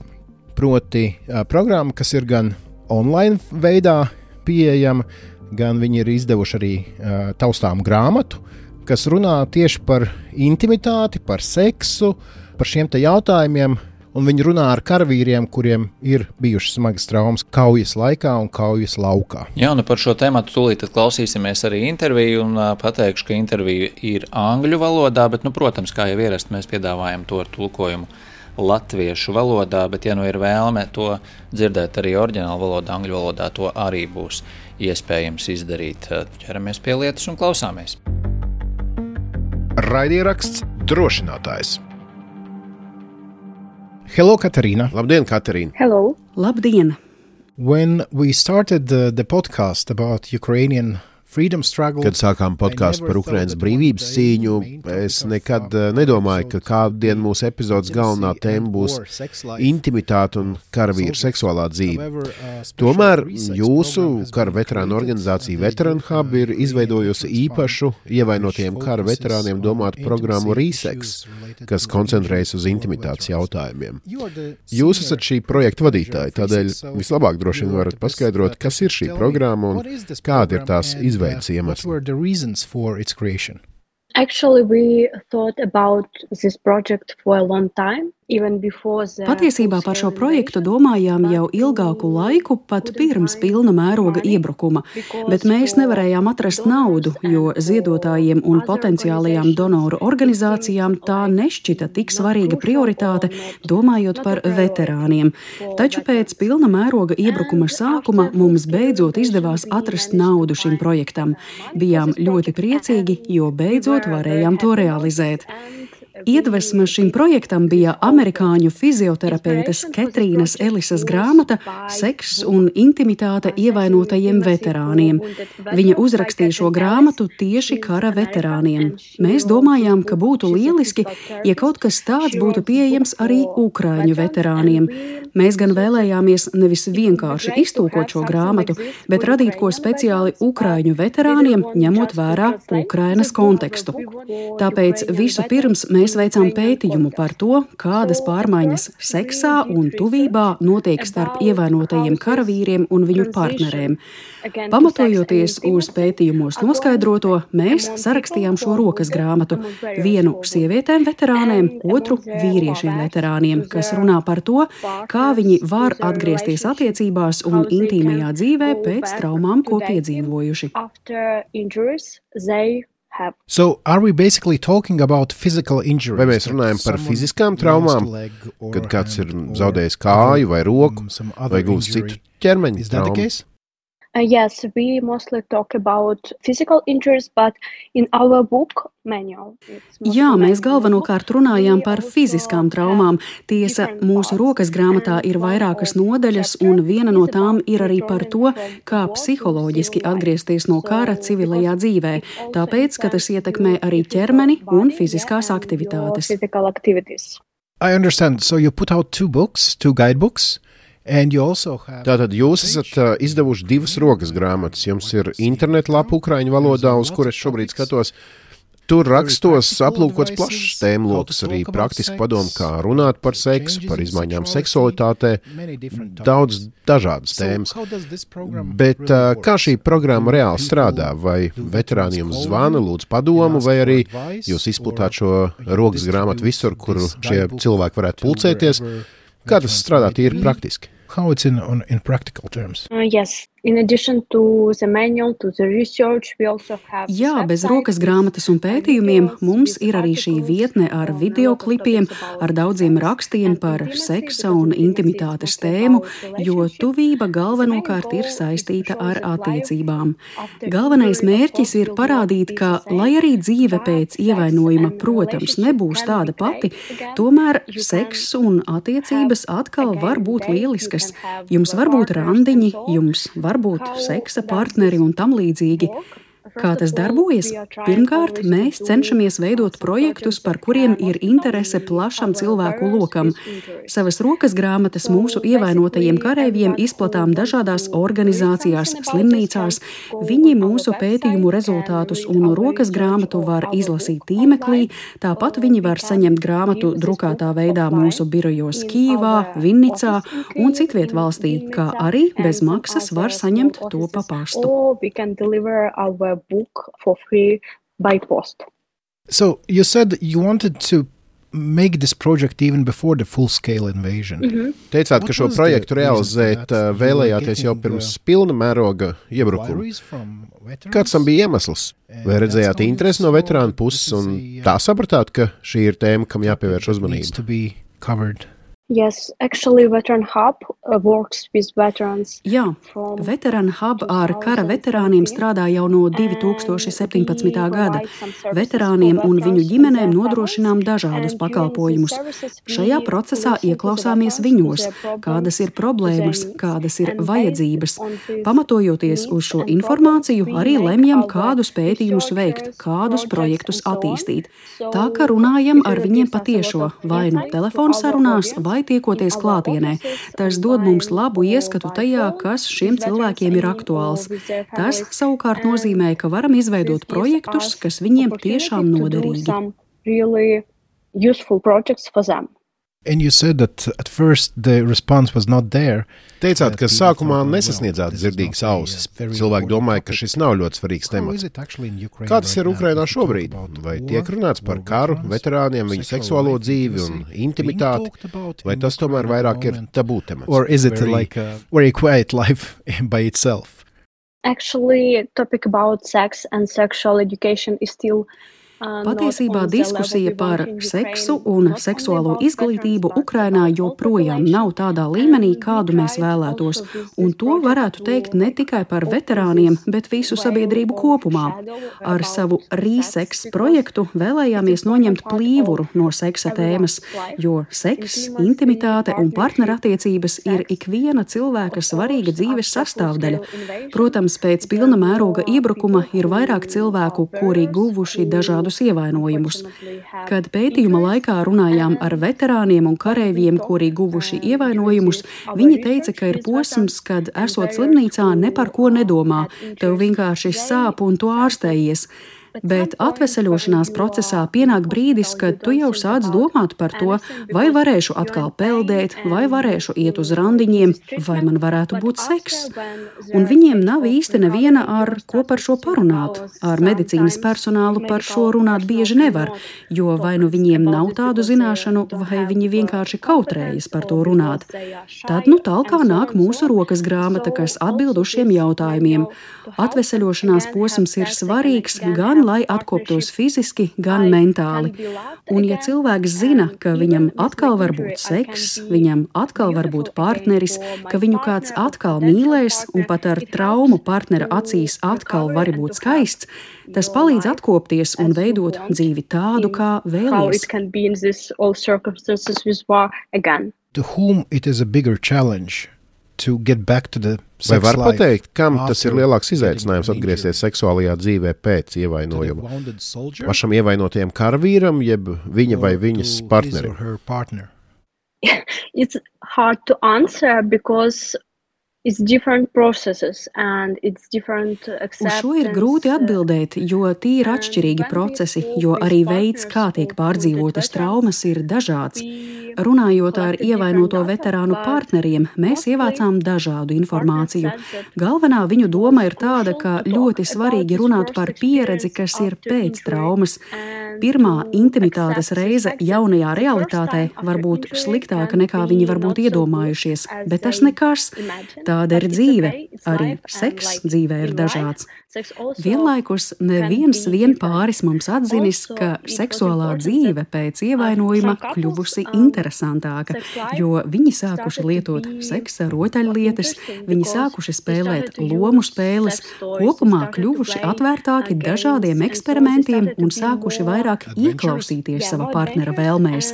Proti programma, kas ir gan online veidā pieejama, gan viņi ir izdevuši arī taustām grāmatu, kas runā tieši par intimitāti, par seksu, par šiem te jautājumiem. un viņi runā ar karavīriem, kuriem ir bijušas smagas traumas kaujas laikā un kaujas laukā. Jā, nu par šo tēmatu tūlīt klausīsimies arī interviju, un pateikšu, ka intervija ir angļu valodā, bet, protams, kā jau ierasti, mēs piedāvājam to ar tulkojumu latviešu valodā, bet, ja nu ir vēlme to dzirdēt arī oriģinālu valodā, angļu valodā, to arī būs iespējams izdarīt. Ķeramies pie lietas un klausāmies. Raidieraksts Drošinātājs. Hello, Katarīna. Labdien, Katarīna. Hello. Labdien. When we started the podcast about Ukrainian freedom struggle, Kad sākām podkāstu par Ukrainas brīvības cīņu, es nekad nedomāju, ka kādien mūsu epizodes galvenā tēma būs intimitāte un karavīru seksuālā dzīve. Tomēr jūsu kara veterānu organizācija Veteran Hub ir izveidojusi īpašu ievainotiem kara veterāniem domātu programmu Resex, kas koncentrējas uz intimitātes jautājumiem. Jūs esat šī projekta vadītāji, tādēļ vislabāk droši vien varat paskaidrot, kas ir šī programma un kāda ir tās izveidas iemesli. What were the reasons for its creation? Actually, we thought about this project for a long time. Patiesībā par šo projektu domājām jau ilgāku laiku, pat pirms pilna mēroga iebrukuma, bet mēs nevarējām atrast naudu, jo ziedotājiem un potenciālajām donoru organizācijām tā nešķita tik svarīga prioritāte, domājot par veterāniem. Taču pēc pilna mēroga iebrukuma sākuma mums beidzot izdevās atrast naudu šim projektam. Bijām ļoti priecīgi, jo beidzot varējām to realizēt. Iedvesma šim projektam bija amerikāņu fizioterapeites Ketrīnas Elisas grāmata Seks un intimitāte ievainotajiem veterāniem. Viņa uzrakstīja šo grāmatu tieši kara veterāniem. Mēs domājām, ka būtu lieliski, ja kaut kas tāds būtu pieejams arī ukraiņu veterāniem. Mēs gan vēlējāmies nevis vienkārši iztulkot šo grāmatu, bet radīt ko speciāli ukraiņu veterāniem, ņemot vērā Ukrainas kontekstu. Tāpēc visu pirms mēs veicām pētījumu par to, kādas pārmaiņas seksā un tuvībā notiek starp ievainotajiem karavīriem un viņu partnerēm. Pamatojoties uz pētījumos noskaidroto, mēs sarakstījām šo rokas grāmatu, vienu sievietēm veterāniem, otru vīriešiem veterāniem, kas runā par to, kā viņi var atgriezties attiecībās un intīmajā dzīvē pēc traumām, ko piedzīvojuši. So, are we basically talking about physical injuries? Vai mēs runājam par fiziskām traumām, kad kāds ir zaudējis kāju vai roku, vai guvis citu ķermeņa traumu? Yes, we mostly talk about physical injuries, but in our book manual. Jā, mēs galvenokārt runājām par fiziskām traumām. Tiesa, mūsu rokas grāmatā ir vairākas nodaļas, un viena no tām ir arī par to, kā psiholoģiski atgriezties no kara civilajā dzīvē, tāpēc, ka tas ietekmē arī ķermeni un fiziskās aktivitātes. I understand. So you put out two guidebooks. Tātad jūs esat izdevuši 2 rokas grāmatas. Jums ir internetlapa ukraiņu valodā, uz kuras šobrīd skatos. Tur rakstos aplūkots plašs tēmloks, arī praktiski padomu, kā runāt par seksu, par izmaiņām seksualitātē, daudz dažādas tēmas. Bet kā šī programma reāli strādā? Vai veterāni jums zvana, lūdz padomu, vai arī jūs izplatāt šo rokas grāmatu visur, kur šie cilvēki varētu pulcēties? Kā tas strādā tīri praktiski? How it's in practical terms? Yes. In addition to the manual, to the research, we also have... Jā, bez rokas grāmatas un pētījumiem mums ir arī šī vietne ar videoklipiem, ar daudziem rakstiem par seksa un intimitātes tēmu, jo tuvība galvenokārt ir saistīta ar attiecībām. Galvenais mērķis ir parādīt, ka, lai arī dzīve pēc ievainojuma, protams, nebūs tāda pati, tomēr seks un attiecības atkal var būt lieliskas. Jums var būt randiņi, jums var būt seksa partneri un tam līdzīgi. Kā tas darbojas? Pirmkārt, mēs cenšamies veidot projektus, par kuriem ir interese plašam cilvēku lokam. Savas rokas grāmatas mūsu ievainotajiem kareiviem izplatām dažādās organizācijās, slimnīcās. Viņi mūsu pētījumu rezultātus un rokas grāmatu var izlasīt tīmeklī, tāpat viņi var saņemt grāmatu drukātā veidā mūsu birojos Kijivā, Vinnicā un citviet valstī, kā arī bez maksas var saņemt to pa pastu. Book for free by post. So you said you wanted to make this project even before the full-scale invasion. Teicāt, ka šo projektu realizēt vēlējāties jau pirms pilna mēroga iebrukuma. Kāds tam bija iemesls? Vai redzējāt interesi no veterānu puses un tā sapratāt, ka šī ir tēma, kam jāpievērš uzmanība? Yes, actually Veteran Hub works with veterans. Jā, Veteran Hub ar kara veterāniem strādā jau no 2017. gada. Veterāniem un viņu ģimenēm nodrošinām dažādus pakalpojumus. Šajā procesā ieklausāmies viņos, kādas ir problēmas, kādas ir vajadzības. Pamatojoties uz šo informāciju, arī lemjam, kādus pētījumus veikt, kādus projektus attīstīt. Tā kā runājam ar viņiem patiešo, vai nu telefonsarunās, vai tiekoties klātienē. Tas dod mums labu ieskatu tajā, kas šiem cilvēkiem ir aktuāls. Tas savukārt nozīmē, ka varam izveidot projektus, kas viņiem tiešām noderīgi. And you said that at first the response was not there. Teicāt, ka sākumā nesasniedzāt dzirdīgas ausis. Cilvēki domāja, ka šis nav ļoti svarīgs temats. Kā tas ir Ukrainā šobrīd? Vai tiek runāts par karu, veterāniem, viņu seksuālo dzīvi un intimitāti? Vai tas tomēr vairāk ir tabū temats? Or is it like a very quiet life by itself? Actually, topic about sex and sexual education is still Patiesībā diskusija par seksu un seksuālo izglītību Ukrainā joprojām nav tādā līmenī, kādu mēs vēlētos, un to varētu teikt ne tikai par veterāniem, bet visu sabiedrību kopumā. Ar savu Re-Sex projektu vēlējāmies noņemt plīvuru no seksa tēmas, jo seks, intimitāte un partnerattiecības ir ikviena cilvēka svarīga dzīves sastāvdaļa. Protams, pēc pilna mēroga iebrukuma ir vairāk cilvēku, kuri guvuši dažādu ievainojumus. Kad pētījuma laikā runājām ar veterāniem un kareiviem, kuri guvuši ievainojumus, viņi teica, ka ir posms, kad esot slimnīcā ne par ko nedomā, tev vienkārši sāp un tu ārstējies. Bet atveseļošanās procesā pienāk brīdis, kad tu jau sāc domāt par to, vai varēšu atkal peldēt, vai varēšu iet uz randiņiem, vai man varētu būt seks. Un viņiem nav īsti neviena, ar ko par šo parunāt. Ar medicīnas personālu par šo runāt bieži nevar, jo vai nu viņiem nav tādu zināšanu, vai viņi vienkārši kautrējas par to runāt. Tad talkā nāk mūsu rokas grāmata, kas atbild uz šiem jautājumiem. Atveseļošanās posms ir svarīgs gan lai atkoptos fiziski, gan mentāli. Un ja cilvēks zina, ka viņam atkal var būt seks, viņam atkal var būt partneris, ka viņu kāds atkal mīlēs un pat ar traumu partnera acīs atkal var būt skaists, tas palīdz atkopties un veidot dzīvi tādu, kā vēlies. To whom it is a bigger challenge to get back to the Vai var pateikt, kam tas ir lielāks izaicinājums atgriezties seksuālajā dzīvē pēc ievainojuma? Pašam ievainotajam karavīram, jeb viņa vai viņas partnerim? It's hard to answer because it's different processes and it's different acceptance. Uz šo ir grūti atbildēt, jo tie ir atšķirīgi procesi, jo arī veids, kā tiek pārdzīvotas traumas, ir dažāds. Runājot ar ievainoto veterānu partneriem, mēs ievācām dažādu informāciju. Galvenā viņu doma ir tāda, ka ļoti svarīgi runāt par pieredzi, kas ir pēc traumas. Pirmā intimitātes reize jaunajā realitātē var būt sliktāka nekā viņi varbūt iedomājušies, bet tas nekas. Tāda ir dzīve. Arī seks dzīvē ir dažāds. Vienlaikus neviens pāris mums atzinis, ka seksuālā dzīve pēc ievainojuma kļuvusi interesantāka, jo viņi sākuši lietot seksa rotaļlietas, viņi sākuši spēlēt lomu spēles, kopumā kļuvuši atvērtāki dažādiem eksperimentiem un sākuši vairāk ieklausīties sava partnera vēlmēs.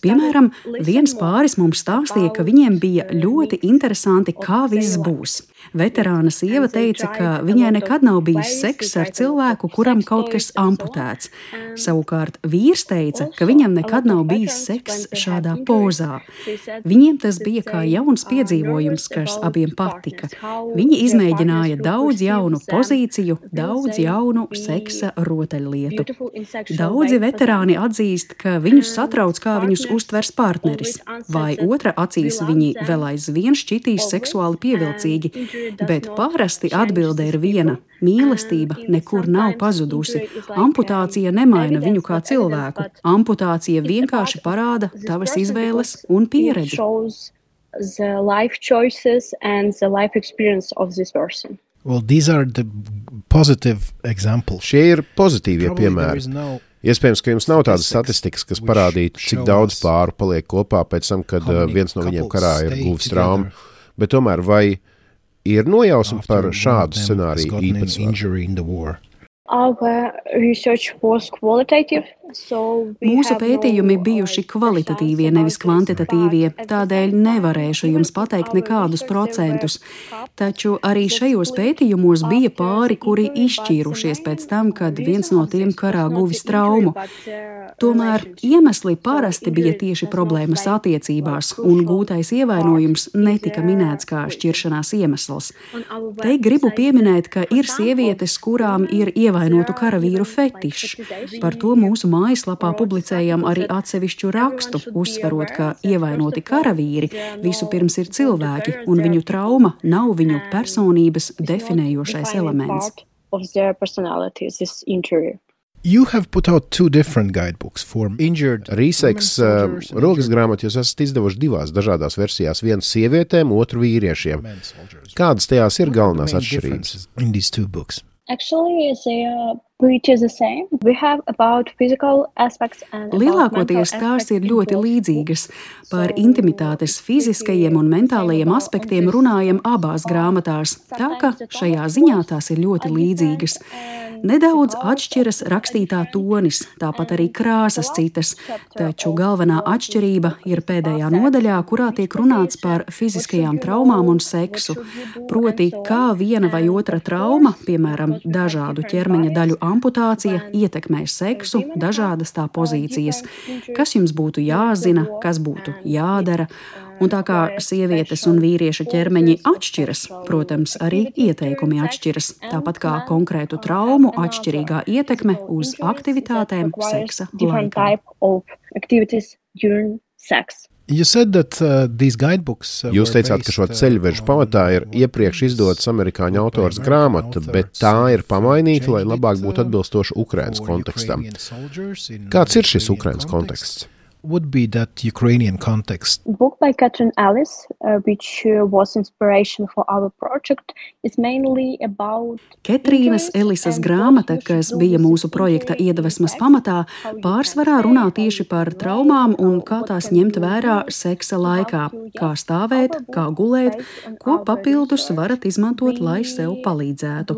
Piemēram, viens pāris mums stāstīja, ka viņiem bija ļoti interesanti, kā viss būs. Veterāna sieva teica, ka viņai nekad nav bijis seks ar cilvēku, kuram kaut kas amputēts. Savukārt vīrs teica, ka viņam nekad nav bijis seks šādā pozā. Viņiem tas bija kā jauns piedzīvojums, kas abiem patika. Viņi izmēģināja daudz jaunu pozīciju, daudz jaunu seksa rotaļlietu. Daudzi veterāni atzīst, ka viņus satrauc, kā viņus uztvers partneris, vai otra acīs viņi vēl aizvien šķitīs seksuāli pievilcīgi, bet parasti atbilde ir viena. Mīlestība nekur nav pazudusi. Amputācija nemaina viņu kā cilvēku. Amputācija vienkārši parāda tavas izvēles un pieredzi. The life choices and the life experience of this person. Well, these are the positive examples. Šie ir pozitīvie piemēri. Iespējams, ka jums nav tādas statistikas, kas parādītu, cik daudz pāru paliek kopā pēc tam, kad viens no viņiem karā ir guvis traumu. Bet tomēr vai ir nojausma par šādu scenāriju īpatsvaru? Our research was qualitative. Mūsu pētījumi bijuši kvalitatīvie, nevis kvantitatīvie, tādēļ nevarēšu jums pateikt nekādus procentus. Taču arī šajos pētījumos bija pāri, kuri izšķīrušies pēc tam, kad viens no tiem karā guvis traumu. Tomēr iemesli parasti bija tieši problēmas attiecībās, un gūtais ievainojums netika minēts kā šķiršanās iemesls. Te gribu pieminēt, ka ir sievietes, kurām ir ievainotu karavīru fetišs. Par to mūsu mājaslapā publicējam arī atsevišķu rakstu, uzsverot, ka ievainoti karavīri vispirms ir cilvēki, un viņu trauma nav viņu personības definējošais elements. You have put out two different guidebooks for injured. Rīseks rokas grāmatu jūs esat izdevuši divās dažādās versijās, vienu sievietēm, otru vīriešiem. Kādas tajās ir galvenās atšķirības? In these two books. Actually, they are pretty the same. We have about physical aspects and Lielākoties tās ir ļoti līdzīgas. Par intimitātes fiziskajiem un mentālajiem aspektiem runājam abās grāmatās, tā ka šajā ziņā tās ir ļoti līdzīgas. Nedaudz atšķiras rakstītā tonis, tāpat arī krāsas citas, taču galvenā atšķirība ir pēdējā nodaļā, kurā tiek runāts par fiziskajām traumām un seksu. Proti, kā viena vai otra trauma, piemēram, dažādu ķermeņa daļu amputācija, ietekmē seksu, dažādas tā pozīcijas, kas jums būtu jāzina, kas būtu jādara. Un tā kā sievietes un vīrieša ķermeņi atšķiras, protams, arī ieteikumi atšķiras, tāpat kā konkrētu traumu atšķirīgā ietekme uz aktivitātēm seksa laikā. You said that these guidebooks Jūs teicāt, ka šo ceļvežu pamatā ir iepriekš izdotas amerikāņu autors grāmata, bet tā ir pamainīta, lai labāk būtu atbilstoša Ukrainas kontekstam. Kāds ir šis Ukrainas konteksts? Would be that Ukrainian context. Book by Catherine Ellis, which was inspiration for our project, is mainly about Ketrīnas Ellisas grāmata, kas bija mūsu projekta iedvesmas pamatā, pārsvarā runā tieši par traumām un kā tās ņemt vērā seksa laikā, kā stāvēt, kā gulēt, ko papildus varat izmantot, lai sev palīdzētu.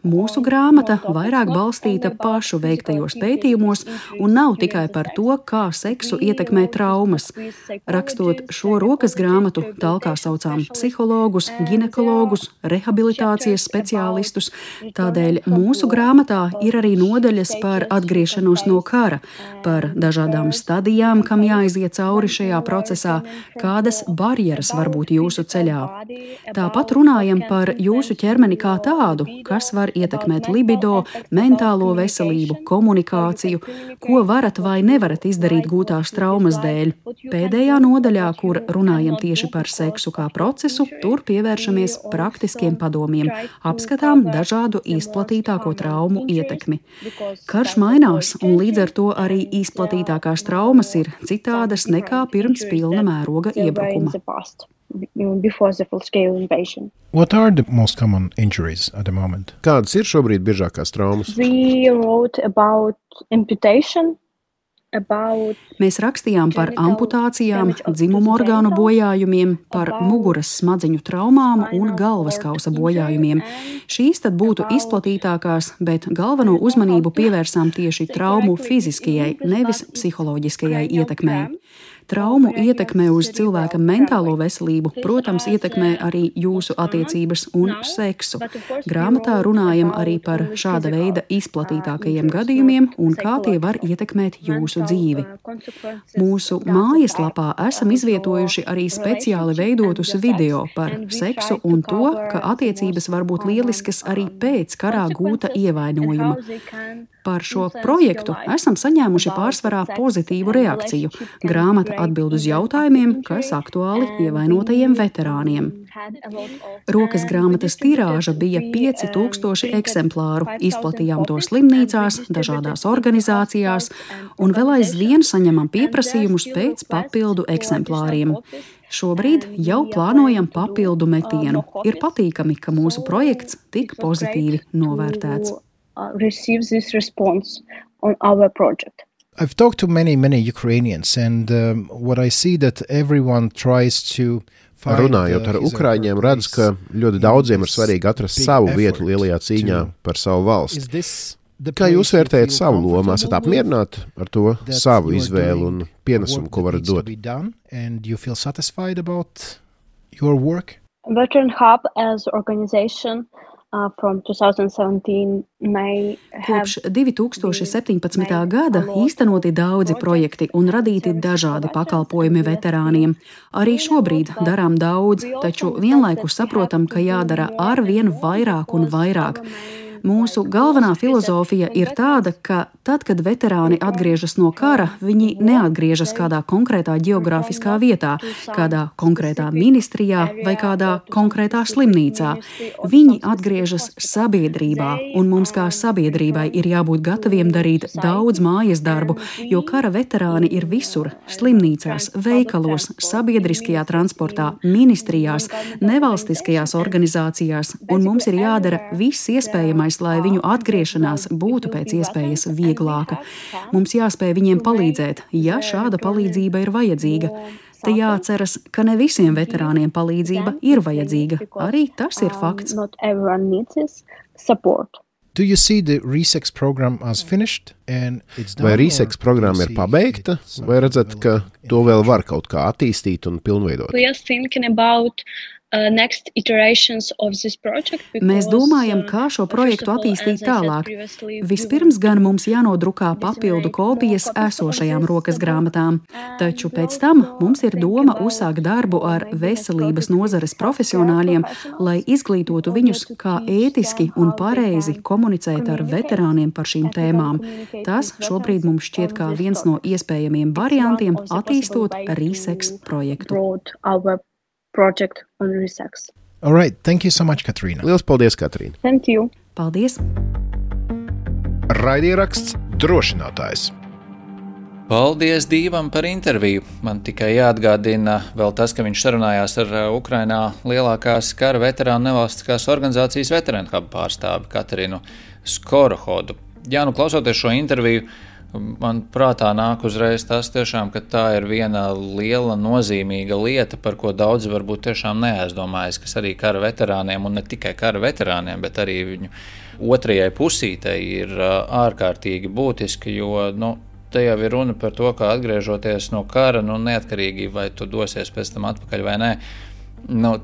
Mūsu grāmata vairāk balstīta pašu veiktajos pētījumos un nav tikai par to, kā seksu ietekmē traumas. Rakstot šo rokas grāmatu, talkā saucām psihologus, ginekologus, rehabilitācijas speciālistus. Tādēļ mūsu grāmatā ir arī nodaļas par atgriešanos no kara, par dažādām stadijām, kam jāiziet cauri šajā procesā, kādas barjeras var būt jūsu ceļā. Tāpat runājam par jūsu ķermeni kā tādu, kas var ietekmēt libido, mentālo veselību, komunikāciju, ko varat vai nevarat izdarīt gūtās traumas dēļ. Pēdējā nodaļā, kur runājam tieši par seksu kā procesu, tur pievēršamies praktiskiem padomiem, apskatām dažādu izplatītāko traumu ietekmi. Karš mainās, un līdz ar to arī izplatītākās traumas ir citādas nekā pirms pilna mēroga iebrukuma. Before the full-scale invasion. What are the most common injuries at the moment? Kādas ir šobrīd biežākās traumas? We wrote about amputation, Mēs rakstījām par amputācijām, dzimumu orgānu bojājumiem, par muguras smadziņu traumām un galvaskausa bojājumiem. Šīs tad būtu izplatītākās, bet galveno uzmanību pievērsām tieši traumu fiziskajai, nevis psiholoģiskajai ietekmei. Traumu ietekme uz cilvēka mentālo veselību, protams, ietekmē arī jūsu attiecības un seksu. Grāmatā runājam arī par šāda veida izplatītākajiem gadījumiem un kā tie var ietekmēt jūsu dzīvi. Mūsu mājaslapā esam izvietojuši arī speciāli veidotus video par seksu un to, ka attiecības var būt lieliskas arī pēc karā gūta ievainojuma. Par šo projektu esam saņēmuši pārsvarā pozitīvu reakciju. Grāmata atbild uz jautājumiem, kas aktuāli ievainotajiem veterāniem. Rokas grāmatas tirāža bija 5000 eksemplāru, izplatījām to slimnīcās, dažādās organizācijās un vēl aizvien saņemam pieprasījumus pēc papildu eksemplāriem. Šobrīd jau plānojam papildu metienu. Ir patīkami, ka mūsu projekts tik pozitīvi novērtēts. I've talked to many Ukrainians, and what I see that everyone tries to Runājot ar ukraiņiem, redz, ka ļoti daudziem ir svarīgi atrast savu vietu lielajā cīņā par savu valsti. Kā jūs vērtējat savu lomu? Esat apmierināti ar to savu izvēli un pienesumu, ko varat dot? Veteran Hub as organization from 2017 may have... Kopš 2017. gada īstenoti daudzi projekti un radīti dažādi pakalpojumi veterāniem. Arī šobrīd darām daudz, taču vienlaikus saprotam, ka jādara arvien vairāk un vairāk. Mūsu galvenā filozofija ir tāda, ka tad, kad veterāni atgriežas no kara, viņi neatgriežas kādā konkrētā ģeogrāfiskā vietā, kādā konkrētā ministrijā vai kādā konkrētā slimnīcā. Viņi atgriežas sabiedrībā, un mums kā sabiedrībai ir jābūt gataviem darīt daudz mājas darbu, jo kara veterāni ir visur – slimnīcās, veikalos, sabiedriskajā transportā, ministrijās, nevalstiskajās organizācijās, un mums ir jādara viss iespējamais, lai viņu atgriešanās būtu pēc iespējas vieglāka. Mums jāspēj viņiem palīdzēt, ja šāda palīdzība ir vajadzīga. Te jāatceras, ka ne visiem veterāniem palīdzība ir vajadzīga. Arī tas ir fakts. Do you see the RESEX program as finished? Vai RESEX programma ir pabeigta, vai redzat, ka to vēl var kaut kā attīstīt un pilnveidot? Mēs domājam, kā šo projektu attīstīt tālāk. Vispirms gan mums jānodrukā papildu kopijas esošajām rokas grāmatām, taču pēc tam mums ir doma uzsākt darbu ar veselības nozares profesionāļiem, lai izglītotu viņus, kā ētiski un pareizi komunicēt ar veterāniem par šīm tēmām. Tas šobrīd mums šķiet kā viens no iespējamiem variantiem attīstot RESEX projektu. Project on RESEX. All right, thank you so much, Katrīna. Liels paldies, Katrīna. Thank you. Paldies. Raidieraksts Drošinātājs. Paldies Dīvam par interviju. Man tikai jāatgādina vēl tas, ka viņš sarunājās ar Ukrainā lielākās kara veterānu nevalstiskās organizācijas Veteran Hub pārstāvi Katrīnu Skorohodu. Jā, klausoties šo interviju, man prātā nāk uzreiz tas tiešām, ka tā ir viena liela nozīmīga lieta, par ko daudzi varbūt tiešām neaizdomājas, kas arī kara veterāniem, un ne tikai kara veterāniem, bet arī viņu otrajai pusītei ir ārkārtīgi būtiski, jo, te jau ir runa par to, ka atgriežoties no kara, neatkarīgi vai tu dosies pēc tam atpakaļ vai nē,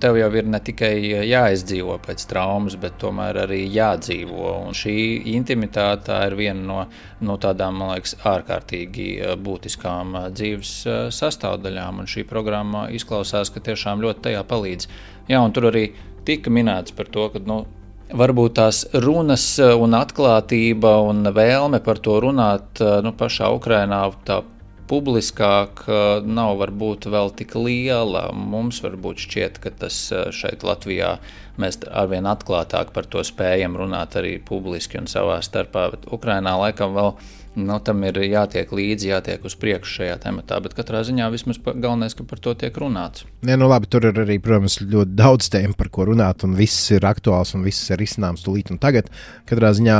tev jau ir ne tikai jāizdzīvo pēc traumas, bet tomēr arī jādzīvo. Un šī intimitāte ir viena no tādām, man liekas, ārkārtīgi būtiskām dzīves sastāvdaļām. Un šī programma izklausās, ka tiešām ļoti tajā palīdz. Jā, un tur arī tika minēts par to, ka varbūt tās runas un atklātība un vēlme par to runāt pašā Ukrainā tā publiskāk nav varbūt vēl tik liela. Mums varbūt šķiet, ka tas šeit Latvijā mēs arvien atklātāk par to spējam runāt arī publiski un savā starpā, bet Ukrainā laikam vēl tam ir jātiek līdzi, jātiek uz priekšu šajā tematā, bet katrā ziņā vismaz galvenais, ka par to tiek runāts. Labi, tur ir arī, protams, ļoti daudz tēmu, par ko runāt, un viss ir aktuāls, un viss ir izcināms tūlīt un tagad. Katrā ziņā,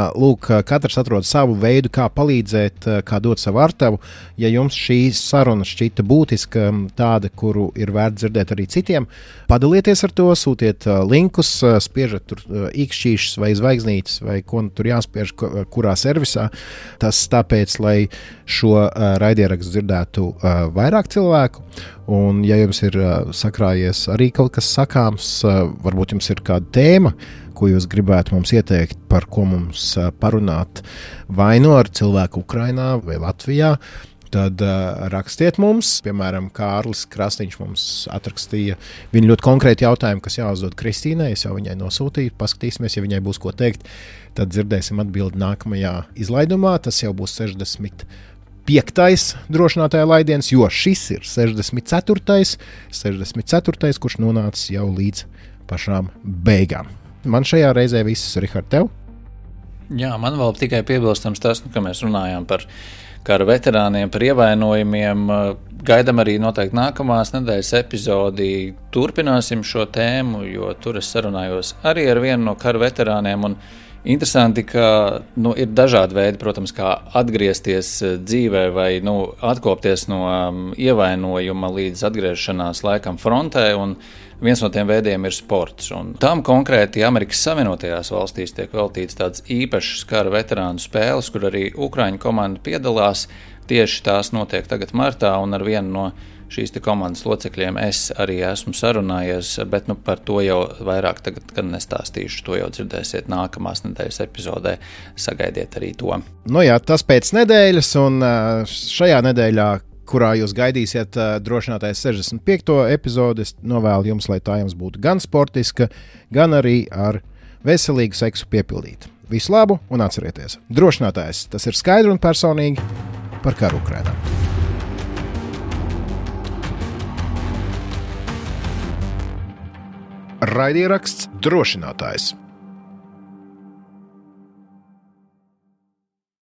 katrs atrod savu veidu, kā palīdzēt, kā dot savu artavu. Ja jums šī saruna šķita būtiska, tāda, kuru ir vērts dzirdēt arī citiem, padalieties ar to, sūtiet linkus, spiežat tur īkšķīšus vai zvaigznītes, vai ko tur jāspiež, kurā servisā. Tas tāpēc, lai šo raidierakstu dzirdētu vairāk cilvēku. Un, ja jums ir sakrājies arī kaut kas sakāms, varbūt jums ir kāda tēma, ko jūs gribētu mums ieteikt, par ko mums parunāt vai ar cilvēku Ukrainā vai Latvijā, tad rakstiet mums. Piemēram, Kārlis Krasniņš mums atrakstīja viņu ļoti konkrēti jautājumu, kas jāuzdod Kristīnai. Es jau viņai nosūtīju, paskatīsimies, ja viņai būs ko teikt. Tad dzirdēsim atbildi nākamajā izlaidumā. Tas jau būs 65. drošinātāja laidiens, jo šis ir 64. kurš nonācis jau līdz pašām beigām. Man šajā reizē viss, Rihard, tev? Jā, man vēl tikai piebilstams tas, ka mēs runājām par kara veterāniem, par ievainojumiem. Gaidām arī noteikti nākamās nedēļas epizodi. Turpināsim šo tēmu, jo tur es sarunājos arī ar vienu no kara veterāniem. Un interesanti, ka ir dažādi veidi, protams, kā atgriezties dzīvē vai atkopties no ievainojuma līdz atgriešanās laikam frontē. Un viens no tiem veidiem ir sports. Un tam konkrēti Amerikas Savienotajās valstīs tiek veltīts tāds īpašs kara veterānu spēles, kur arī Ukraiņu komanda piedalās. Tieši tās notiek tagad martā, un ar vienu no šīs komandas locekļiem es arī esmu sarunājies, bet par to jau vairāk tagad, kad nestāstīšu, to jau dzirdēsiet nākamās nedēļas epizodē. Sagaidiet arī to. Jā, tas pēc nedēļas, un šajā nedēļā, kurā jūs gaidīsiet drošinātājs 65. epizodi, es novēlu jums, lai tā jums būtu gan sportiska, gan arī ar veselīgu seksu piepildīta. Visu labu un atcerieties, drošinātājs tas ir skaidri un personīgi par karu Ukrainā. Raidieraksts Drošinātājs.